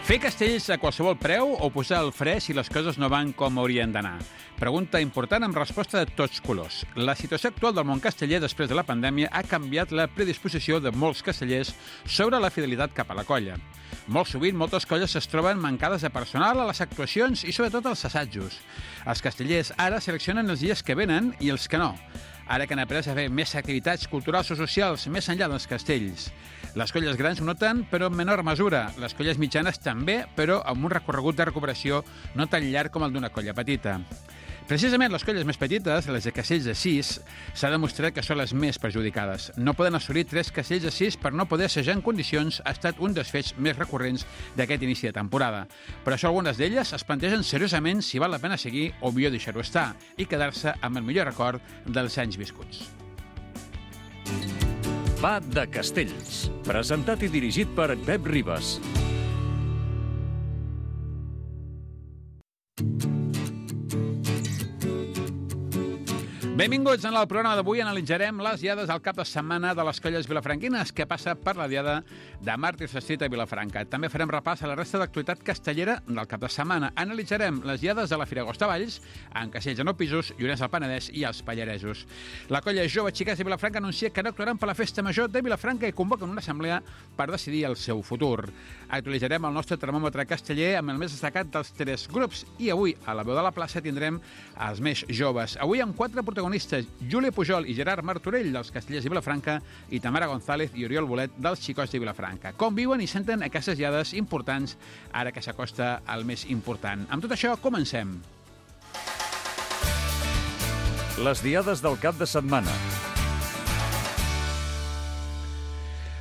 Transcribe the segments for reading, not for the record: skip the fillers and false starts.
Fer castells a qualsevol preu o posar el fre si les coses no van com haurien d'anar? Pregunta important amb resposta de tots colors. La situació actual del món casteller després de la pandèmia ha canviat la predisposició de molts castellers sobre la fidelitat cap a la colla. Molt sovint, moltes colles es troben mancades de personal a les actuacions i sobretot als assajos. Els castellers ara seleccionen els dies que venen i els que no. Ara que han après a fer més activitats culturals o socials més enllà dels castells. Les colles grans ho noten, però en menor mesura. Les colles mitjanes també, però amb un recorregut de recuperació no tan llarg com el d'una colla petita. Precisament les colles més petites, les de castells de 6, s'ha demostrat que són les més perjudicades. No poden assolir 3 castells de 6 per no poder assajar en condicions ha estat un dels fets més recurrents d'aquest inici de temporada. Per això algunes d'elles es plantegen seriosament si val la pena seguir o millor deixar-ho estar i quedar-se amb el millor record dels anys viscuts. Va de Castells, presentat i dirigit per Pep Ribas. Benvinguts en el programa d'avui. Analitzarem les diades al cap de setmana de les colles vilafranquines que passa per la diada de Màrtirs Street a Vilafranca. També farem repàs a la resta d'actualitat castellera del cap de setmana. Analitzarem les diades de la Fira Agost a Valls, en Castells de Nou Pisos, Llorenç del Penedès i els Pallaresos. La colla Jove Xiquets de Vilafranca anuncia que no actuaran per la Festa Major de Vilafranca i convoquen una assemblea per decidir el seu futur. Actualitzarem el nostre termòmetre casteller amb el més destacat dels 3 grups i avui a la veu de la plaça tindrem els més joves. Avui amb 4 protagonistes: Júlia Pujol i Gerard Martorell, dels Castellers de Vilafranca, i Tamara González i Oriol Bolet, dels Xicots de Vilafranca. Com viuen i senten aquestes diades importants ara que s'acosta el més important. Amb tot això, comencem. Les diades del cap de setmana.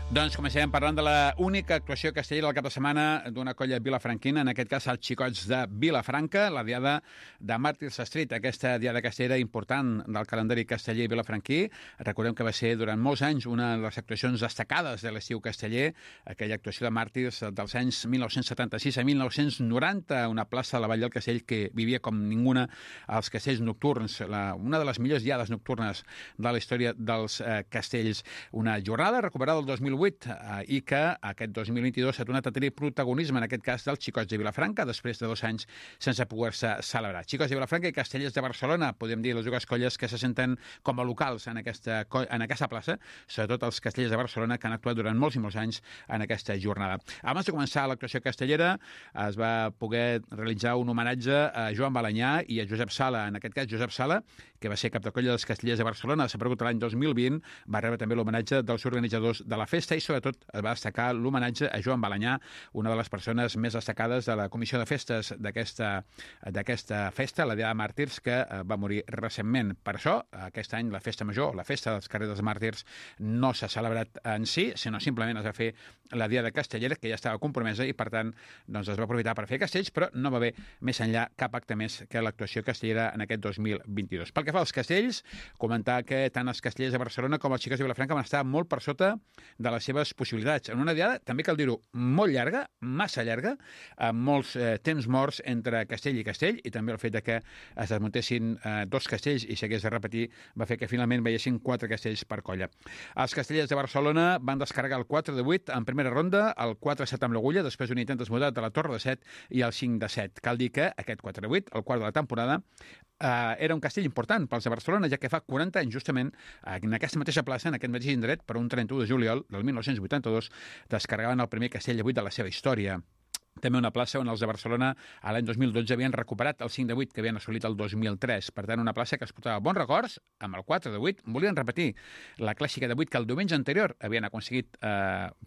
Doncs comencem parlant de la única actuació castellera del cap de setmana d'una colla vilafranquina, en aquest cas els Xicots de Vilafranca, la diada de Màrtirs Street, aquesta diada castellera important del calendari casteller vilafranquí. Recordem que va ser durant molts anys una de les actuacions destacades de l'estiu casteller, aquella actuació de Màrtirs dels anys 1976 a 1990, una plaça a la Vall del Castell que vivia com ninguna als castells nocturns, una de les millors diades nocturnes de la història dels castells. Una jornada recuperada el 2008 i que aquest 2022 s'ha tornat a tenir protagonisme, en aquest cas dels Xicots de Vilafranca, després de 2 anys sense poder-se celebrar. Xicots de Vilafranca i Castellers de Barcelona, podem dir les dues colles que se senten com a locals en aquesta plaça, sobretot els Castellers de Barcelona, que han actuat durant molts i molts anys en aquesta jornada. Abans de començar l'actuació castellera, es va poder realitzar un homenatge a Joan Balanyà i a Josep Sala. En aquest cas, Josep Sala, que va ser cap de colla dels Castellers de Barcelona, desaparegut l'any 2020, va rebre també l'homenatge dels organitzadors de la festa i sobretot es va destacar l'homenatge a Joan Balanyà, una de les persones més destacades de la comissió de festes d'aquesta festa, la Diada de Màrtirs, que va morir recentment. Per això, aquest any la festa major, la festa dels carrers dels Màrtirs, no s'ha celebrat en si, sinó simplement es va fer la Diada castellera, que ja estava compromesa i per tant doncs es va aprofitar per fer castells, però no va haver més enllà cap acte més que l'actuació castellera en aquest 2022. Pel que fa als castells, comentar que tant els castellers de Barcelona com els Xicots de Vilafranca van estar molt per sota de les seves possibilitats. En una diada, també cal dir-ho, molt llarga, massa llarga, amb molts temps morts entre castell i castell, i també el fet que es desmuntessin 2 castells i s'hagués de repetir va fer que finalment veiessin 4 castells per colla. Els castellers de Barcelona van descarregar el 4 de 8 en primera ronda, el 4-7 amb l'Agulla, després d'un intent desmudat a la Torre de 7 i el 5-7. Cal dir que aquest 4 de 8, el quart de la temporada, era un castell important pels de Barcelona, ja que fa 40 anys, justament, en aquesta mateixa plaça, en aquest mateix indret, per un 31 de juliol del 1982, descarregaven el primer castell de 8 de la seva història. També una plaça on els de Barcelona a l'any 2012 havien recuperat el 5 de 8 que havien assolit el 2003. Per tant, una plaça que es portava bons records, amb el 4 de 8. Volien repetir la clàssica de 8 que el diumenge anterior havien aconseguit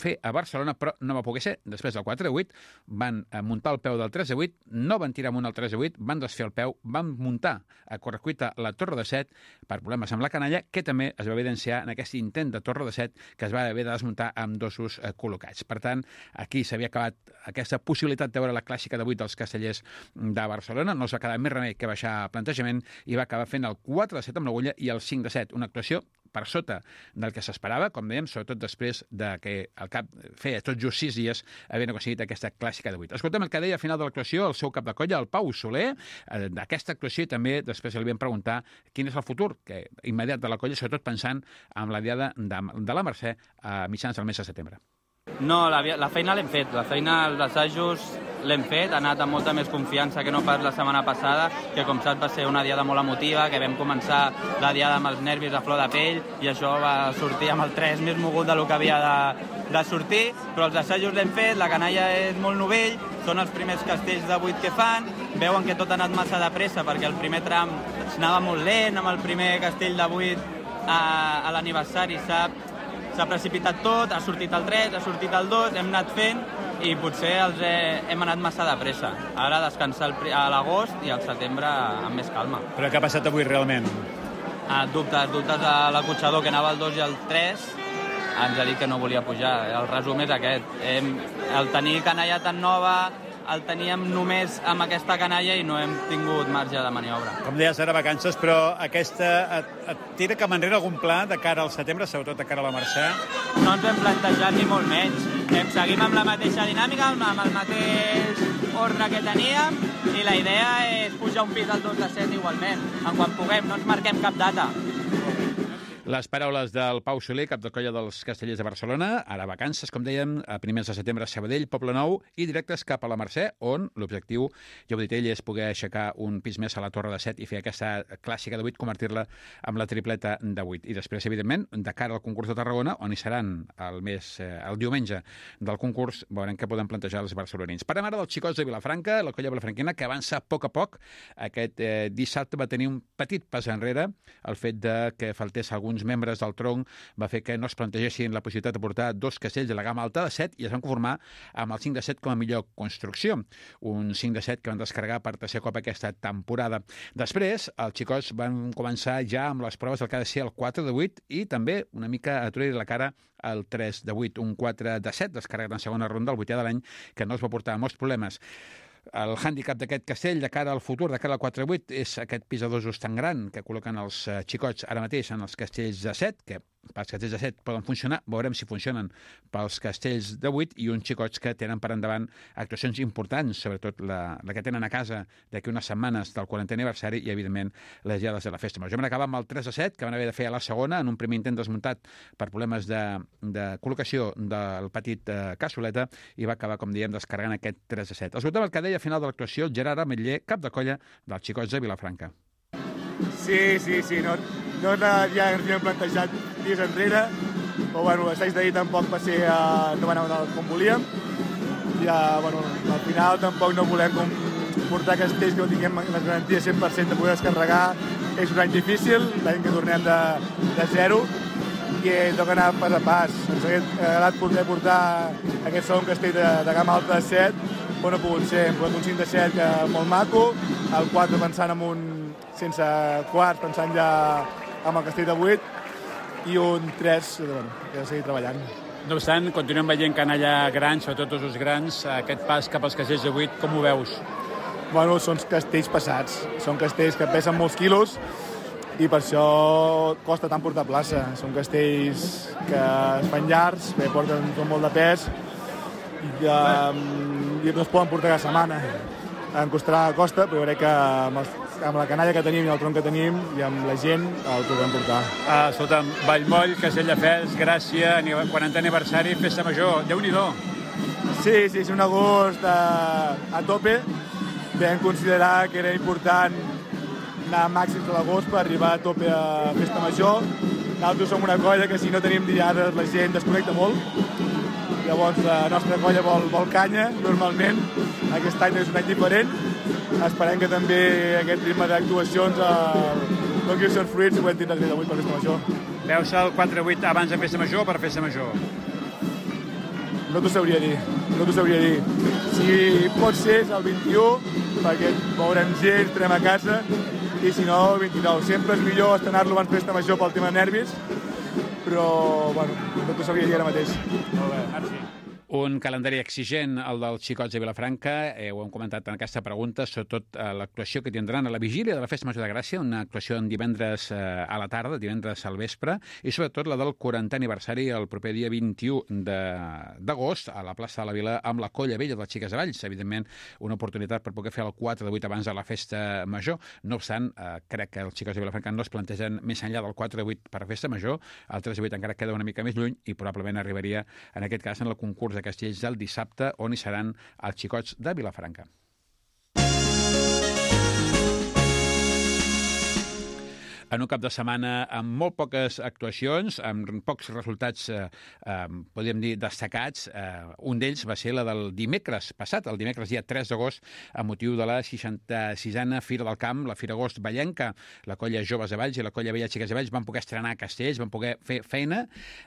fer a Barcelona, però no va poder ser. Després del 4 de 8 van muntar el peu del 3 de 8, no van tirar amunt el 3 de 8, van desfer el peu, van muntar a correcuita la Torre de 7 per problemes amb la canalla, que també es va evidenciar en aquest intent de Torre de 7 que es va haver de desmuntar amb dosos col·locats. Per tant, aquí s'havia acabat aquesta possibilitat de veure la clàssica de 8 dels castellers de Barcelona. No es va quedar més remei que baixar plantejament i va acabar fent el 4 de 7 amb l'Agulla i el 5 de 7. Una actuació per sota del que s'esperava, com dèiem, sobretot després de que el cap feia tot just 6 dies havien aconseguit aquesta clàssica de 8. Escoltem el que deia al final de l'actuació el seu cap de colla, el Pau Soler, d'aquesta actuació, i també després li vam preguntar quin és el futur immediat de la colla, sobretot pensant en la diada de la Mercè a mitjans del mes de setembre. No, la feina l'hem fet. La feina, els assajos l'hem fet. Ha anat amb molta més confiança que no pas la setmana passada, que com saps va ser una diada molt emotiva, que vam començar la diada amb els nervis a flor de pell i això va sortir amb el 3 més mogut del que havia de sortir, però els assajos l'hem fet, la canalla és molt novell, són els primers castells de 8 que fan, veuen que tot ha anat massa de pressa perquè el primer tram anava molt lent, amb el primer castell de 8 a l'aniversari s'ha precipitat tot, ha sortit el 3, ha sortit el 2, hem anat fent i potser hem anat massa de pressa. Ara descansar a l'agost i al setembre amb més calma. Però què ha passat avui realment? Dubtes a l'acotxador que anava al 2 i al 3 ens ha dit que no volia pujar. El resum és aquest. El tenir canalla tan nova el teníem només amb aquesta canalla i no hem tingut marge de maniobra. Com deies, ara vacances, però aquesta et tira cap enrere algun pla de cara al setembre, sobretot de cara a la Mercè? No ens hem plantejat ni molt menys. Seguim amb la mateixa dinàmica, amb el mateix ordre que teníem i la idea és pujar un pis al 2 de 7 igualment. En quan puguem, no ens marquem cap data. Les paraules del Pau Soler, cap de colla dels Castellers de Barcelona, ara vacances, com dèiem, a primers de setembre a Sabadell, Poblenou, i directes cap a la Mercè, on l'objectiu, ja ho he dit ell, és poder aixecar un pis més a la Torre de 7 i fer aquesta clàssica de 8, convertir-la amb la tripleta de 8. I després, evidentment, de cara al concurs de Tarragona, on hi seran el diumenge del concurs, veurem què poden plantejar els barcelonins. Parlem ara dels xicots de Vilafranca, la colla vilafranquina, que avança a poc. Aquest dissabte va tenir un petit pas enrere, el fet de que faltés alguns membres del tronc va fer que no es plantegessin la possibilitat de portar 2 castells de la gamma alta de 7 i es van conformar amb el 5 de 7 com a millor construcció. Un 5 de 7 que van descarregar per tercer cop aquesta temporada. Després, els xicots van començar ja amb les proves del que ha de ser el 4 de 8 i també una mica a treure la cara al 3 de 8, un 4 de 7 descarregat en segona ronda, el 8è de l'any, que no es va portar molts problemes. El hàndicap d'aquest castell de cara al futur, de cara al 4-8, és aquest pis de dosos tan gran que col·loquen els xicots ara mateix en els castells de 7, que pels castells de 7 poden funcionar, veurem si funcionen pels castells de 8, i uns xicots que tenen per endavant actuacions importants, sobretot la que tenen a casa d'aquí unes setmanes del 40è aniversari i, evidentment, les diades de la festa major. Vam acabar amb el 3 de 7, que van haver de fer a la segona, en un primer intent desmuntat per problemes de col·locació del petit cassoleta, i va acabar, com diem, descarregant aquest 3 de 7. Escoltem el que deia al final de l'actuació el Gerard Ametller, cap de colla dels xicots de Vilafranca. Sí, no ja ens havíem plantejat dies enrere, però bueno, l'assaig d'ahir tampoc va ser, no va anar com volíem. Ja, bueno, al final tampoc no volem portar castells que no tinguem les garanties 100% de poder descarregar. És un any difícil, l'any que tornem de zero, i toca anar pas a pas. Ens hauria agradat poder portar aquest segon castell de gamma alta de 7, però no ha pogut ser. Hem posat un 5 de 7 que molt maco, el 4 pensant en un sense quarts, pensant ja amb el castell de 8, i un 3 que ha de seguir treballant. No obstant, continuem veient canalla grans, sobretot tots els grans, aquest pas cap als castells de 8, com ho veus? Bueno, són castells pesats, són castells que pesen molts quilos i per això costa tant portar plaça. Són castells que es fan llargs, porten molt de pes i no es poden portar cada setmana. Em costarà costa, però crec que amb la canalla que tenim i el tronc que tenim i amb la gent el podem portar. Escolta'm, Vallmoll, Castelldefels, Gràcia, 40è aniversari, festa major, Déu-n'hi-do. Sí, és un agost a tope. Vam considerar que era important anar a màxims de l'agost per arribar a tope a festa major. Nosaltres som una colla que si no tenim diades la gent desconnecta molt. Llavors la nostra colla vol canya, normalment. Aquest any és un any diferent. Esperem que també aquest ritme d'actuacions doni els seus fruits i ho hem tindre avui per festa major. Veus el 4-8 abans de festa major o per festa major? No t'ho sabria dir. Si pot ser és el 21, perquè veurem gent, estarem a casa, i si no, el 29. Sempre és millor estrenar-lo abans festa major pel tema de nervis, però bueno, no t'ho sabria dir ara mateix. Molt bé, merci. Un calendari exigent, el dels xicots de Vilafranca, ho hem comentat en aquesta pregunta, sobretot l'actuació que tindran a la vigília de la Festa Major de Gràcia, una actuació en divendres a la tarda, divendres al vespre, i sobretot la del 40è aniversari el proper dia 21 d'agost a la plaça de la Vila amb la Colla Vella dels Xiques de Valls. Evidentment, una oportunitat per poder fer el 4 de 8 abans de la Festa Major. No obstant, crec que els xicots de Vilafranca no es plantegen més enllà del 4 de 8 per a Festa Major, el 3 de 8 encara queda una mica més lluny i probablement arribaria, en aquest cas, en el concurs de Castells del dissabte, on hi seran els xicots de Vilafranca. En un cap de setmana amb molt poques actuacions, amb pocs resultats, podríem dir, destacats. Un d'ells va ser la del dimecres passat, el dimecres dia 3 d'agost, a motiu de la 66a Fira del Camp, la Fira Agost Vallenca. La Colla Joves de Valls i la Colla Vella Xiques de Valls van poder estrenar castells, van poder fer feina,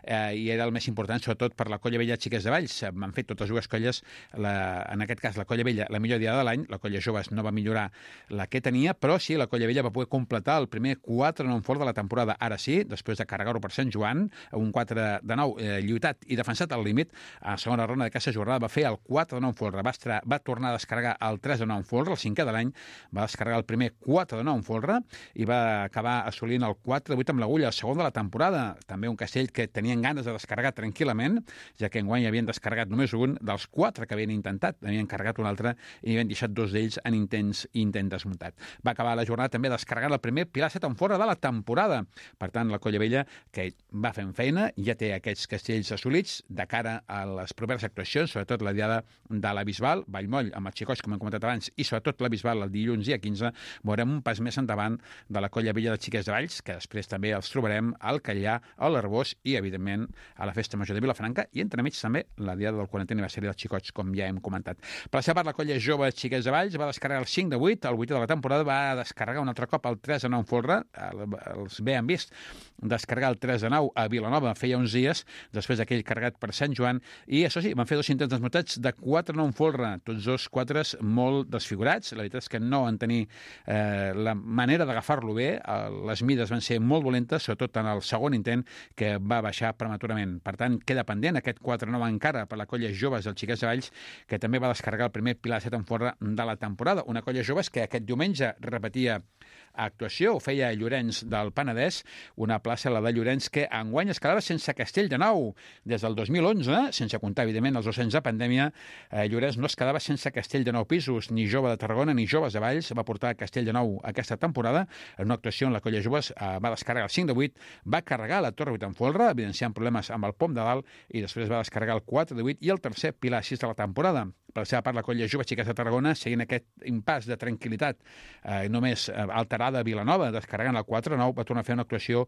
i era el més important, sobretot per la Colla Vella Xiques de Valls. Van fer totes dues colles, en aquest cas la Colla Vella, la millor dia de l'any. La Colla Joves no va millorar la que tenia, però sí, la Colla Vella va poder completar el primer 4-9 fort de la temporada, ara sí, després de carregar-ho per Sant Joan, un 4-9 lluitat i defensat al límit. A la segona ronda d'aquesta jornada va fer el 4-9 folre, va tornar a descarregar el 3-9 folre, el 5è de l'any, va descarregar el primer 4-9 folre i va acabar assolint el 4-8 amb l'agulla, el segon de la temporada. També un castell que tenien ganes de descarregar tranquil·lament, ja que enguany havien descarregat només un dels 4 que havien intentat, havien carregat un altre i havien deixat 2 d'ells en intent desmuntat. Va acabar la jornada també descarregant el primer pilar 7 en fora de la temporada. Per tant, la Colla Vella, que va fent feina, ja té aquests castells assolits de cara a les properes actuacions, sobretot la diada de la Bisbal, Vallmoll, amb els xicots, com hem comentat abans, i sobretot la Bisbal el dilluns dia 15, veurem un pas més endavant de la Colla Vella de Xiques de Valls, que després també els trobarem al Catllà, a l'Arbós i, evidentment, a la Festa Major de Vilafranca, i entremig també la diada del 40è aniversari dels xicots, com ja hem comentat. Per la seva part, la Colla Jove Xiques de Valls va descarregar el 5 de 8, el 8è de la temporada va descarregar un altre cop el 3-9 folre, els bé han vist descarregar el 3-9 a Vilanova feia uns dies, després d'aquell carregat per Sant Joan, i això sí, van fer 2 intents desmuntats de 4-9 folre, tots 2 4s molt desfigurats. La veritat és que no van tenir la manera d'agafar-lo bé, les mides van ser molt dolentes, sobretot en el segon intent, que va baixar prematurament. Per tant, queda pendent aquest 4-9 encara per la Colla Joves dels Xiques de Valls, que també va descarregar el primer pilar 7 en folre de la temporada. Una Colla Joves que aquest diumenge repetia actuació, ho feia Llorenç del Penedès, una plaça, la de Llorenç, que enguany es quedava sense castell de nou. Des del 2011, sense comptar, evidentment, els 2 anys de pandèmia, Llorenç no es quedava sense castell de 9 pisos, ni Jove de Tarragona ni Joves de Valls va portar castell de 9 aquesta temporada. En una actuació en la Colla Joves va descarregar el 5 de 8, va carregar la Torre 8 en folre, evidenciant problemes amb el pom de dalt, i després va descarregar el 4 de 8 i el tercer pilar 6 de la temporada. Per la seva part, la Colla Jove Xiques de Tarragona, seguint aquest impàs de tranquil·litat només alterada a Vilanova, descarregant el 4-9, va tornar a fer una actuació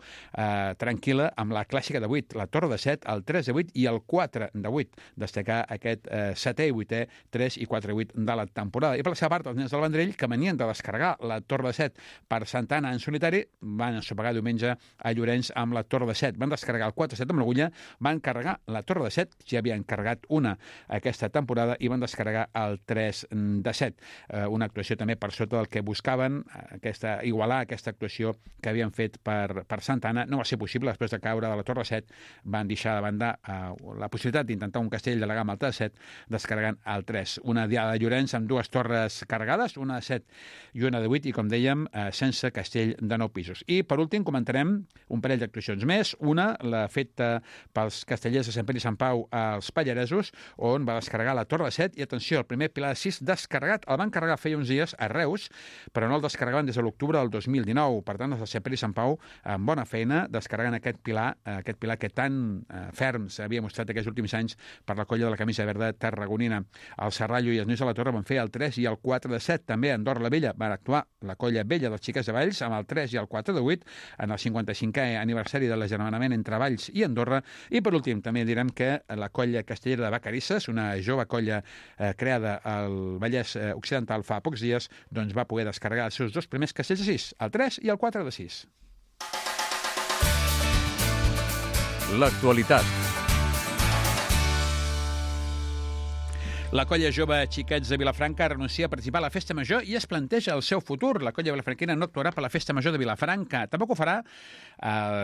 tranquil·la amb la clàssica de 8, la Torre de 7, el 3 de 8 i el 4 de 8. Destacar aquest 7è i 8è, 3 i 4 de 8 de la temporada. I per la seva part, els nens del Vendrell, que venien de descarregar la Torre de 7 per Santa Anna en solitari, van ensopegar diumenge a Llorenç amb la Torre de 7. Van descarregar el 4-7 amb l'agulla, van carregar la Torre de 7, ja havien carregat una aquesta temporada, i van descarregar el 3 de 7. Una actuació també per sota del que buscaven, igualar aquesta actuació que havien fet per Santa Anna. No va ser possible, després de caure de la Torre 7, van deixar de banda la possibilitat d'intentar un castell de la gamma alta de 7, descarregant el 3. Una diada de Llorenç amb 2 torres carregades, una de 7 i una de 8, i com dèiem, sense castell de 9 pisos. I per últim comentarem un parell d'actuacions més. Una, la feta pels castellers de Sant Pere i Sant Pau als Pallaresos, on va descarregar la Torre 7, i atenció, el primer pilar de 6 descarregat. El van carregar feia uns dies a Reus, però no el descarregaven des de l'octubre del 2019. Per tant, els de Sant Pere i Sant Pau, amb bona feina, descarregant aquest pilar que tan ferm s'havia mostrat aquests últims anys per la colla de la camisa verda tarragonina. El Serrallo i els nois de la Torre van fer el 3 i el 4 de 7. També a Andorra la Vella van actuar la colla vella dels Xiques de Valls amb el 3 i el 4 de 8 en el 55è aniversari de l'agermanament entre Valls i Andorra. I per últim també direm que la colla castellera de Vacarisses, una jove colla creada al Vallès Occidental fa pocs dies, doncs va poder descarregar els seus 2 primers castells de 6, el 3 i el 4 de 6. L'actualitat. La colla jove Xiquets de Vilafranca renuncia a participar a la Festa Major i es planteja el seu futur. La colla vilafranquina no actuarà per la Festa Major de Vilafranca. Tampoc ho farà,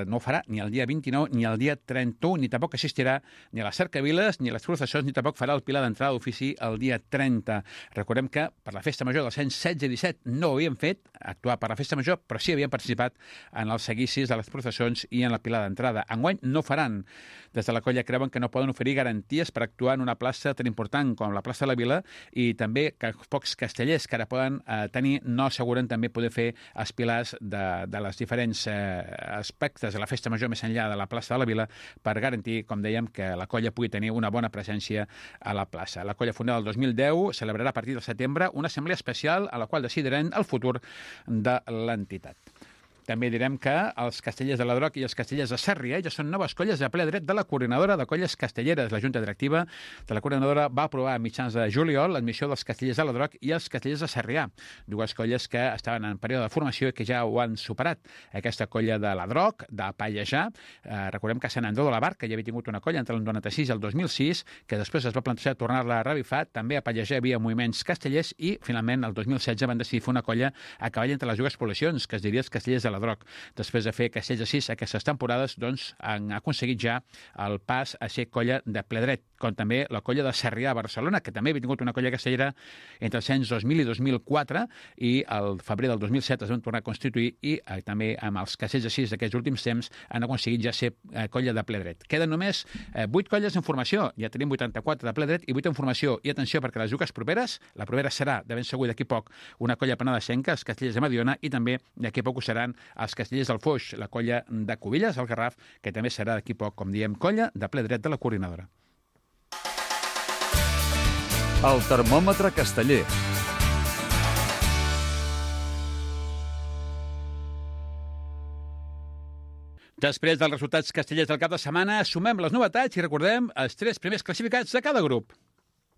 no ho farà ni el dia 29 ni el dia 31, ni tampoc assistirà ni a les cercaviles ni a les processons, ni tampoc farà el pilar d'entrada d'ofici el dia 30. Recordem que per la Festa Major dels anys 16 i 17 no ho havien fet, actuar per la Festa Major, però sí havien participat en els seguicis de les processons i en la pilar d'entrada. Enguany no faran. Des de la colla creuen que no poden oferir garanties per actuar en una plaça tan important com la plaça de la Vila, i també que els pocs castellers que ara poden tenir no asseguren també poder fer els pilars de les diferents aspectes de la Festa Major més enllà de la plaça de la Vila per garantir, com dèiem, que la colla pugui tenir una bona presència a la plaça. La colla fundada el 2010 celebrarà a partir de setembre una assemblea especial a la qual decidiran el futur de l'entitat. També direm que els castellers de l'Adroc i els castellers de Sarrià ja són noves colles de ple dret de la Coordinadora de Colles Castelleres. La Junta Directiva de la Coordinadora va aprovar a mitjans de juliol l'admissió dels castellers de l'Adroc i els castellers de Sarrià, dues colles que estaven en període de formació i que ja ho han superat. Aquesta colla de l'Adroc, de Pallejà, recordem que a Sant Andreu de la Barca ja havia tingut una colla entre el 96 i el 2006, que després es va plantejar tornar-la a revifar. També a Pallejà hi havia moviments castellers i, finalment, el 2016 van decidir fer una colla a cavall entre les dues poblacions, que es diria els castellers de l'Adroc. Després de fer castells de 6 aquestes temporades, doncs han aconseguit ja el pas a ser colla de ple dret, com també la colla de Sarrià a Barcelona, que també havia tingut una colla castellera entre els anys 2000 i 2004, i al febrer del 2007 es van tornar a constituir i també amb els castells de 6 d'aquests últims temps han aconseguit ja ser colla de ple dret. Queden només 8 colles en formació, ja tenim 84 de ple dret i 8 en formació. I atenció, perquè les dues properes, la propera serà, de ben segur d'aquí poc, una colla penedesenca, els castellers de Mediona, i també d'aquí poc ho seran els castellers del Foix, la colla de Cubilles, el Garraf, que també serà d'aquí poc, com diem, colla de ple dret de la Coordinadora. El termòmetre casteller. Després dels resultats castellers del cap de setmana, sumem les novetats i recordem els 3 primers classificats de cada grup.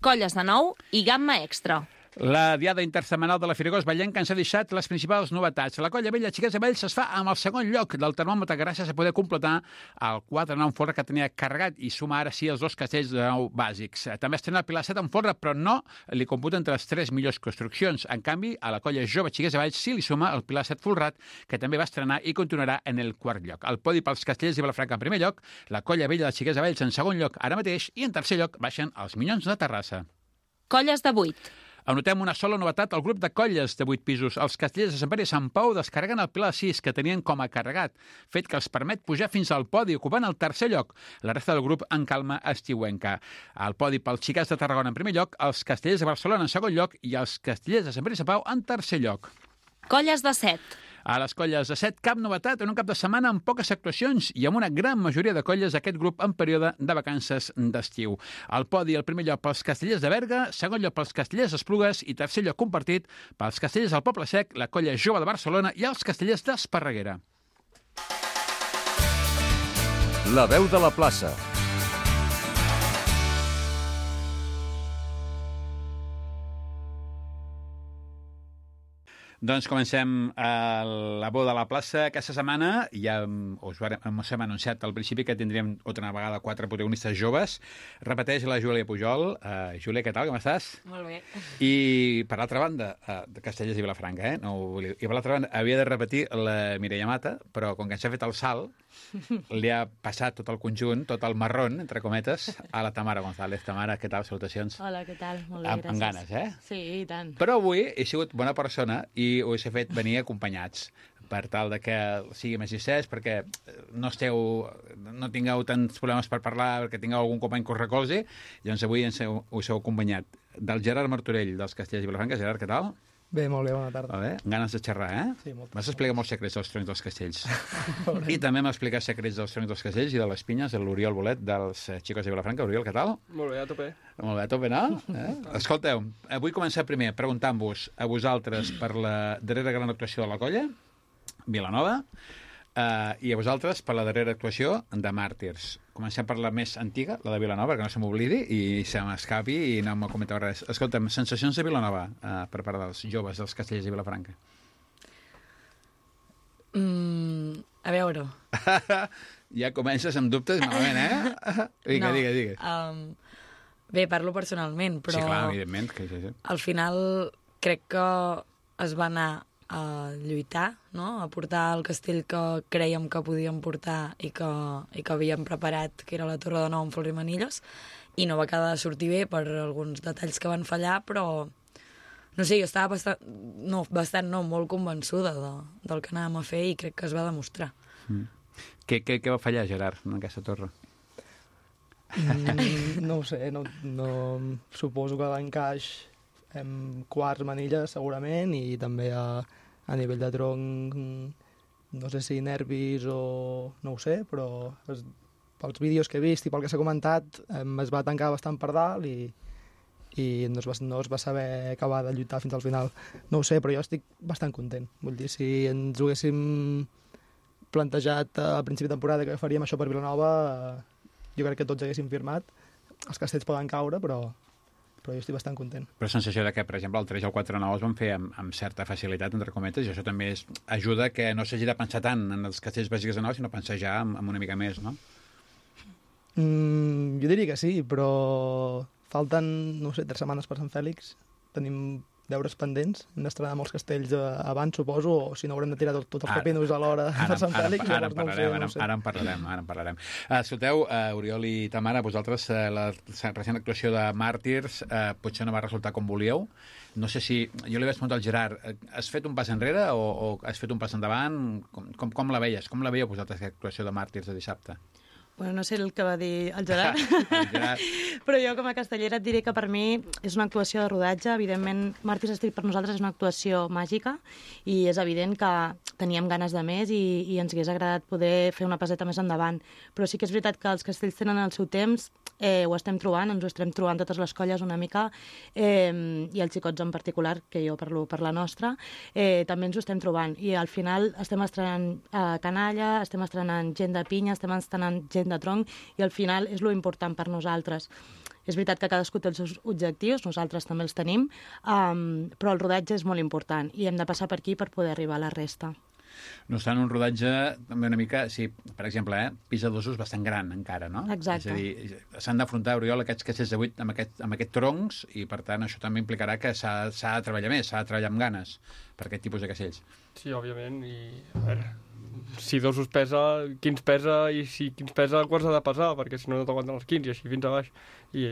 Colles de nou i gamma extra. La diada intersetmanal de la Firagosa Vallenca ens ha deixat les principals novetats. La colla vella Xiquets de Vells es fa amb el segon lloc del termòmetre gràcies a poder completar el 4 en folre que tenia carregat i suma ara sí els 2 castells de nou bàsics. També estrena el Pilar 7 en folre, però no li computa entre les 3 millors construccions. En canvi, a la colla jove Xiquets de Vells sí li suma el Pilar 7 folrat, que també va estrenar i continuarà en el quart lloc. El podi pels castellers de Vilafranca en primer lloc, la colla vella de Xiquets de Vells en segon lloc ara mateix i en tercer lloc baixen els Minyons de Terrassa. Colles de 8. Anotem una sola novetat al grup de colles de 8 pisos. Els castellers de Sant Pere i Sant Pau descarreguen el Pilar 6, que tenien com a carregat, fet que els permet pujar fins al podi, ocupant el tercer lloc. La resta del grup en calma estiuenca. Al podi pels Xiquets de Tarragona en primer lloc, els castellers de Barcelona en segon lloc i els castellers de Sant Pere i Sant Pau en tercer lloc. Colles de 7. A les colles de 7, cap novetat en un cap de setmana amb poques actuacions i amb una gran majoria de colles d'aquest grup en període de vacances d'estiu. Al podi, el primer lloc pels castellers de Berga, segon lloc pels castellers d'Esplugues i tercer lloc compartit pels castellers del Poble Sec, la colla jove de Barcelona i els castellers d'Esparreguera. La veu de la plaça. Doncs comencem la boda a la plaça aquesta setmana. Ja us hem anunciat al principi que tindríem altra vegada 4 protagonistes joves. Repeteix la Júlia Pujol. Júlia, què tal, com estàs? Molt bé. I per l'altra banda, de Castellers i Vilafranca, I per l'altra banda, havia de repetir la Mireia Mata, però com que ens ha fet el salt, li ha passat tot el conjunt, tot el marrón, entre cometes, a la Tamara González. Tamara, què tal? Salutacions. Hola, què tal? Molt bé, gràcies. Amb ganes, Sí, i tant. Però avui he sigut bona persona i us he fet venir acompanyats per tal de que sigui més distès, perquè no tingueu tants problemes per parlar, perquè tingueu algun company que us recolzi. Llavors avui us heu acompanyat del Gerard Martorell, dels Castellers i Vilafranca. Gerard, què tal? Bé, molt bé, bona tarda. Bé, ganes de xerrar, Sí, moltes. M'has explicat molts secrets dels troncs dels castells. I també m'ha explicat secrets dels troncs dels castells i de les pinyes, de l'Oriol Bolet, dels Xiquets de Vilafranca. Oriol, què tal? Molt bé, a tope. Molt bé, a tope, no? Escolteu, vull començar primer preguntant-vos a vosaltres per la darrera gran actuació de la colla, Vilanova, i a vosaltres per la darrera actuació de Màrtirs. Comencem per la més antiga, la de Vilanova, que no se m'oblidi i se m'escapi i no m'ho comenteu res. Escolta'm, sensacions de Vilanova per part dels joves, dels Castellers i Vilafranca. A veure... Ja comences amb dubtes malament, eh? Vinga, no, digues. Bé, parlo personalment, però Sí, clar, evidentment. Que sí. al final crec que es va anar a lluitar, no? A portar el castell que crèiem que podíem portar i que havíem preparat, que era la Torre de Nou amb Flor i Manilles, i no va quedar de sortir bé per alguns detalls que van fallar, però no sé, jo estava molt convençuda del que anàvem a fer i crec que es va demostrar. Què va fallar, Gerard, en aquesta torre? No ho sé, no, suposo que l'encaix quarts manilles segurament i també a nivell de tronc no sé si nervis o no ho sé, però pels vídeos que he vist i pel que s'ha comentat es va tancar bastant per dalt i no es va saber acabar de lluitar fins al final. No ho sé, però jo estic bastant content. Vull dir, si ens ho haguéssim plantejat a principi de temporada que faríem això per Vilanova, jo crec que tots haguéssim firmat. Els castells poden caure, però jo estic bastant content. Però la sensació de que, per exemple, el 3 i el 4 9 es van fer amb certa facilitat, entre cometes, i això també ajuda que no s'hagi de pensar tant en els castells bàsics de nou, sinó pensar ja amb una mica més, no? Jo diria que sí, però falten, no sé, 3 setmanes per Sant Fèlix. Tenim deures pendents. Hem d'estrenar molts castells abans, suposo, o si no haurem de tirar tots els pepinos a l'hora per Sant Fèlix. Ara en parlarem. Escolteu, Oriol i Tamara, vosaltres la recent actuació de Màrtirs potser no va resultar com volíeu. No sé si... Jo li vaig preguntar al Gerard, has fet un pas enrere o has fet un pas endavant? Com la veies? Com la veieu vosaltres, aquesta actuació de Màrtirs de dissabte? Bueno, no sé el que va dir el Gerard, Gerard. però jo com a castellera et diré que per mi és una actuació de rodatge. Evidentment, Màrtirs Street per nosaltres és una actuació màgica i és evident que teníem ganes de més i ens hagués agradat poder fer una paseta més endavant. Però sí que és veritat que els castells tenen el seu temps, ho estem trobant, ens ho estem trobant totes les colles una mica, i els xicots en particular, que jo parlo per la nostra, també ens ho estem trobant. I al final estem estrenant canalla, estem estrenant gent de pinya, estem estrenant gent de tronc, i al final és lo important per nosaltres. És veritat que cadascú té els seus objectius, nosaltres també els tenim, però el rodatge és molt important i hem de passar per aquí per poder arribar a la resta. No obstant, un rodatge també una mica, sí, per exemple, pis de dosos bastant gran encara, no? Exacte. És a dir, s'han d'afrontar, Oriol, aquests castells de 8 amb aquests troncs i, per tant, això també implicarà que s'ha de treballar més, s'ha de treballar amb ganes per aquest tipus de castells. Sí, òbviament, i a veure, si dosos pesa, quins pesa, i si quins pesa, quants ha de pesar, perquè si no t'aguanten els 15 i així fins a baix. I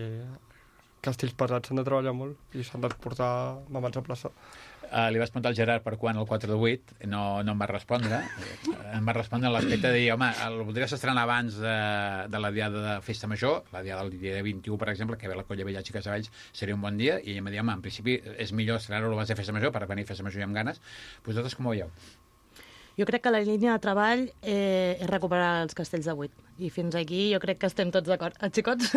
castells pesats s'han de treballar molt i s'han de portar mamans a plaça. Li vas preguntar al Gerard per quan el 4 de 8, no em va respondre. Em va respondre en l'aspecte de dir, home, el voldries estrenar abans de la diada de Festa Major, la diada del dia 21, per exemple, que ve la Colla Vella Xiques de Valls, seria un bon dia, i ella em va dir, home, en principi és millor estrenar-ho abans de Festa Major per venir a Festa Major i amb ganes. Vosaltres com ho veieu? Jo crec que la línia de treball és recuperar els castells de 8. I fins aquí jo crec que estem tots d'acord. Els xicots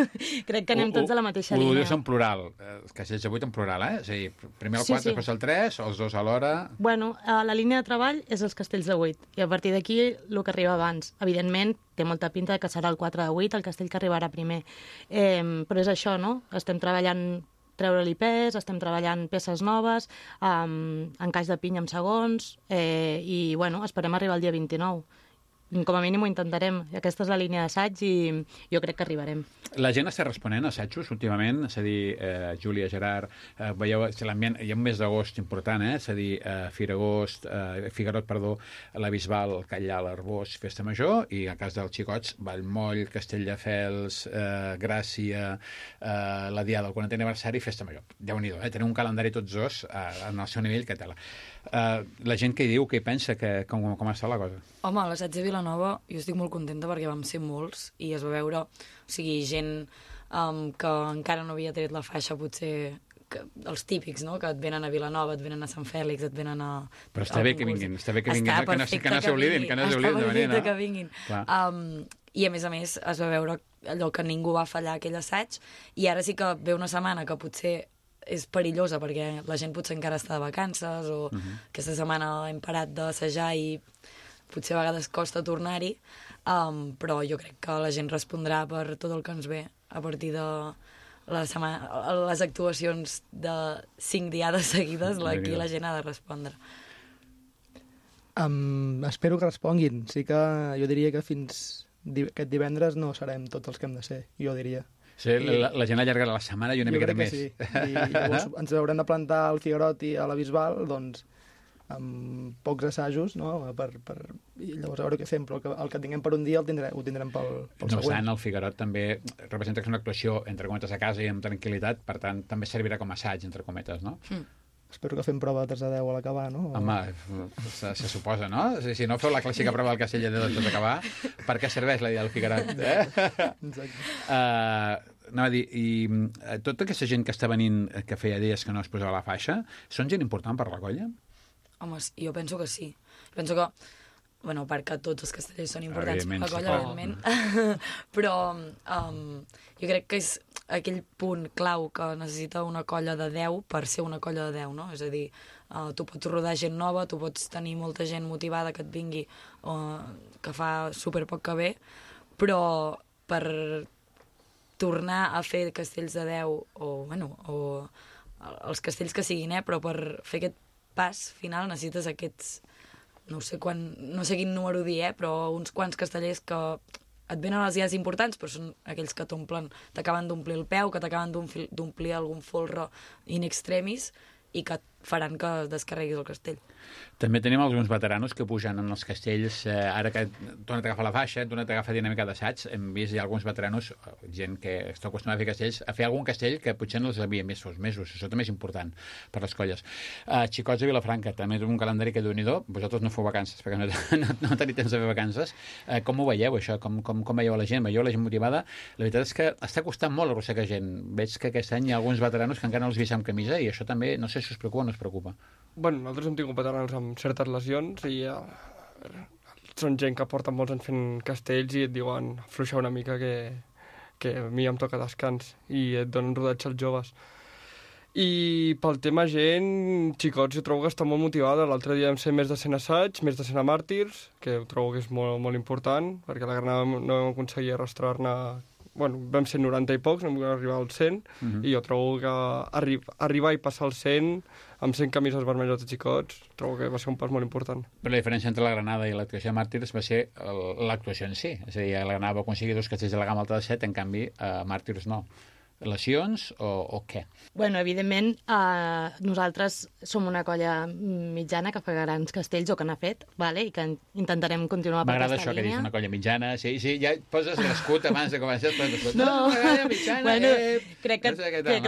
crec que anem tots a la mateixa línia. Ho dius en plural, els castells de 8 en plural, És a dir, primer el 4, després el 3, o els dos alhora... Bueno, la línia de treball és els castells de 8, i a partir d'aquí el que arriba abans. Evidentment, té molta pinta que serà el 4 de 8 el castell que arribarà primer. Però és això, no? Estem treballant treure-li pes, estem treballant peces noves, encaix de pinya amb segons, i bueno, esperem arribar el dia 29. Com a mínim ho intentarem. Aquesta és la línia d'assaig i jo crec que arribarem. La gent està responent a assajos últimament? És a dir, Júlia, Gerard, veieu l'ambient, hi ha un mes d'agost important, és a dir, Figuerot, la Bisbal, el Catllà, l'Arbós, Festa Major, i en cas dels xicots, Vallmoll, Castelldefels, Gràcia, la Diada del 40è aniversari, Festa Major. Déu-n'hi-do, tenen un calendari tots dos en el seu nivell, que tela. La gent què hi diu, què hi pensa, com està la cosa? Home, a l'assaig de Vilanova jo estic molt contenta perquè vam ser molts i es va veure, o sigui, gent que encara no havia tret la faixa, potser els típics, no?, que et venen a Vilanova, et venen a Sant Fèlix, et venen a... Però està bé que vinguin, que no s'oblidin, de venir, no? Que vinguin. I a més es va veure allò que ningú va fallar aquell assaig, i ara sí que ve una setmana que potser és perillosa perquè la gent potser encara està de vacances o aquesta setmana hem parat d'assajar i potser a vegades costa tornar-hi, però jo crec que la gent respondrà per tot el que ens ve a partir de les actuacions de 5 diades seguides, aquí la gent ha de respondre. Espero que responguin. Sí que jo diria que fins aquest divendres no serem tots els que hem de ser, jo diria. Sí, la gent allargarà la setmana i una miqueta més. Jo crec que sí. I llavors ens haurem de plantar al Figuerot i a la Bisbal, doncs, amb pocs assajos, no? I llavors a veure què fem, però el que tinguem per un dia ho tindrem pel No següent. obstant, el Figuerot també representa que és una actuació, entre cometes, a casa i amb tranquil·litat, per tant, també servirà com a assaig, entre cometes, no? Espero que fem prova de 3 a 10 a l'acabar, no? Home, se suposa, no? Si no feu la clàssica prova del Castell de 10 després d'acabar, per què serveix la idea del Figuerot? Exacte. Anava a dir, i tota aquesta gent que està venint, que feia dies que no es posava la faixa, són gent important per la colla? Home, jo penso que sí. Penso que, bueno, perquè tots els castellers són importants per la colla, evidentment, però jo crec que és aquell punt clau que necessita una colla de 10 per ser una colla de 10, no? És a dir, tu pots rodar gent nova, tu pots tenir molta gent motivada que et vingui, que fa superpoc que ve, però per tornar a fer castells de 10 o els castells que siguin, però per fer aquest pas final necessites aquests, no sé quin número dir, però uns quants castellers que et venen a les dies importants, però són aquells que t'acaben d'omplir el peu, que t'acaben d'omplir algun folre in extremis i que faran que descarreguis el castell. També tenim alguns veteranos que pugen en els castells, ara que tornat a agafar la faixa, tornat a agafar dinàmica d'assaig, hem vist ja alguns veteranos, gent que està acostumada a fer castells, a fer algun castell que potser no els havia vist fa uns mesos. Això també és important per les colles. Xicots de Vilafranca, també és un calendari que déu-n'hi-do. Vosaltres no feu vacances, perquè no teniu temps de fer vacances. Com ho veieu, això? Com veieu la gent? Veieu la gent motivada? La veritat és que està costant molt arrossegar gent. Veig que aquest any hi ha alguns veteranos que encara no els vist amb camisa i això també, no sé si us preocupa o no us preocupa. Bueno, nosaltres hem tingut veteranos amb certes lesions i són gent que porten molts anys fent castells i et diuen afluixar una mica que a mi em toca descans i et donen rodatge als joves. I pel tema gent, xicots, jo trobo que està molt motivada. L'altre dia vam ser més de 100 assaigs, més de 100 màrtirs, que ho trobo que és molt, molt important, perquè la Granada no vam aconseguir arrastrar-ne. Bueno, vam ser 90 i pocs, no vam arribar als 100, i jo trobo que arribar i passar als 100 amb 100 camises vermelles de xicots, trobo que va ser un pas molt important. Però la diferència entre la Granada i l'actuació de Màrtirs va ser l'actuació en si. És a dir, la Granada va aconseguir 2 castells de la gamma alta de 7, en canvi, Màrtirs no. Lesions o què? Bueno, evidentment, nosaltres som una colla mitjana que fa grans castells o que n'ha fet, vale? I que intentarem continuar per aquesta línia. M'agrada això que dius, una colla mitjana. Sí, ja poses l'escut abans de començar. No, una colla mitjana. Bueno, crec que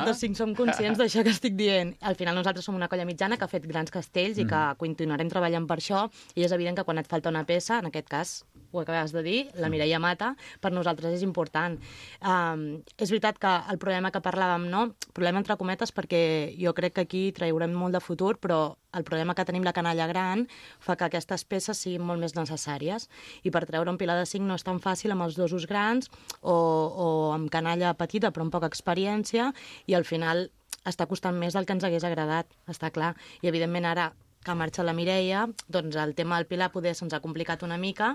tots 5 som conscients d'això que estic dient. Al final nosaltres som una colla mitjana que ha fet grans castells i que continuarem treballant per això, i és evident que quan et falta una peça, en aquest cas, ho acabes de dir, la Mireia Mata, per nosaltres és important. És veritat que el problema que parlàvem, no? Problema entre cometes, perquè jo crec que aquí traurem molt de futur, però el problema que tenim la canalla gran fa que aquestes peces siguin molt més necessàries. I per treure un pilar de 5 no és tan fàcil amb els dosos grans o amb canalla petita però amb poca experiència, i al final està costant més del que ens hagués agradat, està clar. I evidentment ara que marxa la Mireia, doncs el tema del pilar poder se'ns ha complicat una mica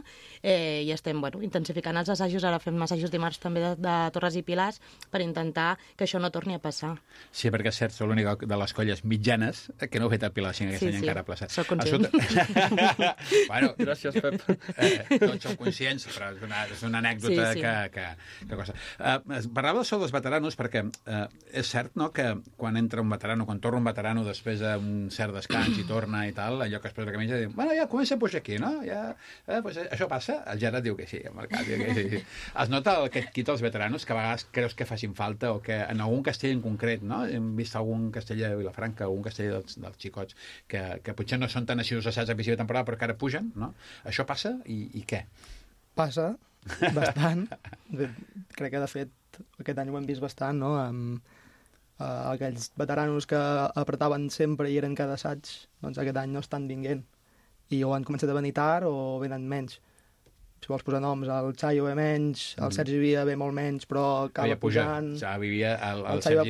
i estem intensificant els assajos. Ara fem assajos dimarts també de torres i pilars per intentar que això no torni a passar. Sí, perquè és cert, sou l'única de les colles mitjanes que no heu fet el pilar 5 aquest any encara a plaça. Soc conscient. Bueno, gràcies, Pep. Tots sou conscients, però és una anècdota que cosa. Parlava d'això dels veteranos perquè és cert, no?, que quan entra un veterano, quan torna un veterano després d'un cert descans i torna i tal, allò que es posa la camisa i diu, bueno, ja comença a pujar aquí, no? Pues això passa? El Gerard diu que sí, el Mercat diu que sí. Es nota aquest quit als veteranos que a vegades creus que facin falta o que en algun castell en concret, no? Hem vist algun castell de Vilafranca, algun castell dels xicots que potser no són tan assiduos a assaig a principi de temporada però que ara pugen, no? Això passa i què? Passa, bastant. Crec que, de fet, aquest any ho hem vist bastant, no?, amb aquells veteranos que apretaven sempre i eren cada assaig, doncs aquest any no estan vinguent. I o han començat a venir tard o venen menys. Si vols posar noms, el Chayo ve menys, el Sergi Via ve molt menys, però acaba pujant. El Sergi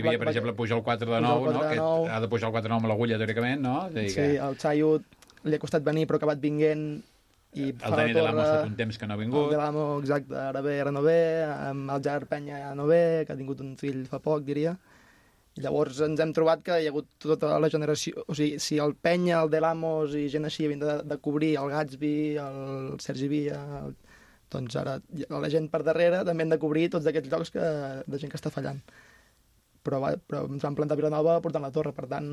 Via, per exemple, puja el 4 de 9, no? Que ha de pujar el 4 de 9 amb l'agulla, teòricament, no? Sí, el Chayo li ha costat venir, però ha acabat vinguent. El Dani de l'Amo ha estat un temps que no ha vingut. El de l'Amo, exacte, ara ve, ara no ve. El Gerard Penya ja no ve, que ha tingut un fill fa poc, diria. I llavors ens hem trobat que hi ha hagut tota la generació... O sigui, si el Penya, el de l'Amos i gent així havien de cobrir el Gatsby, el Sergi Via, Doncs ara la gent per darrere també hem de cobrir tots aquests llocs de gent que està fallant. Però ens van plantar Vilanova portant la torre, per tant,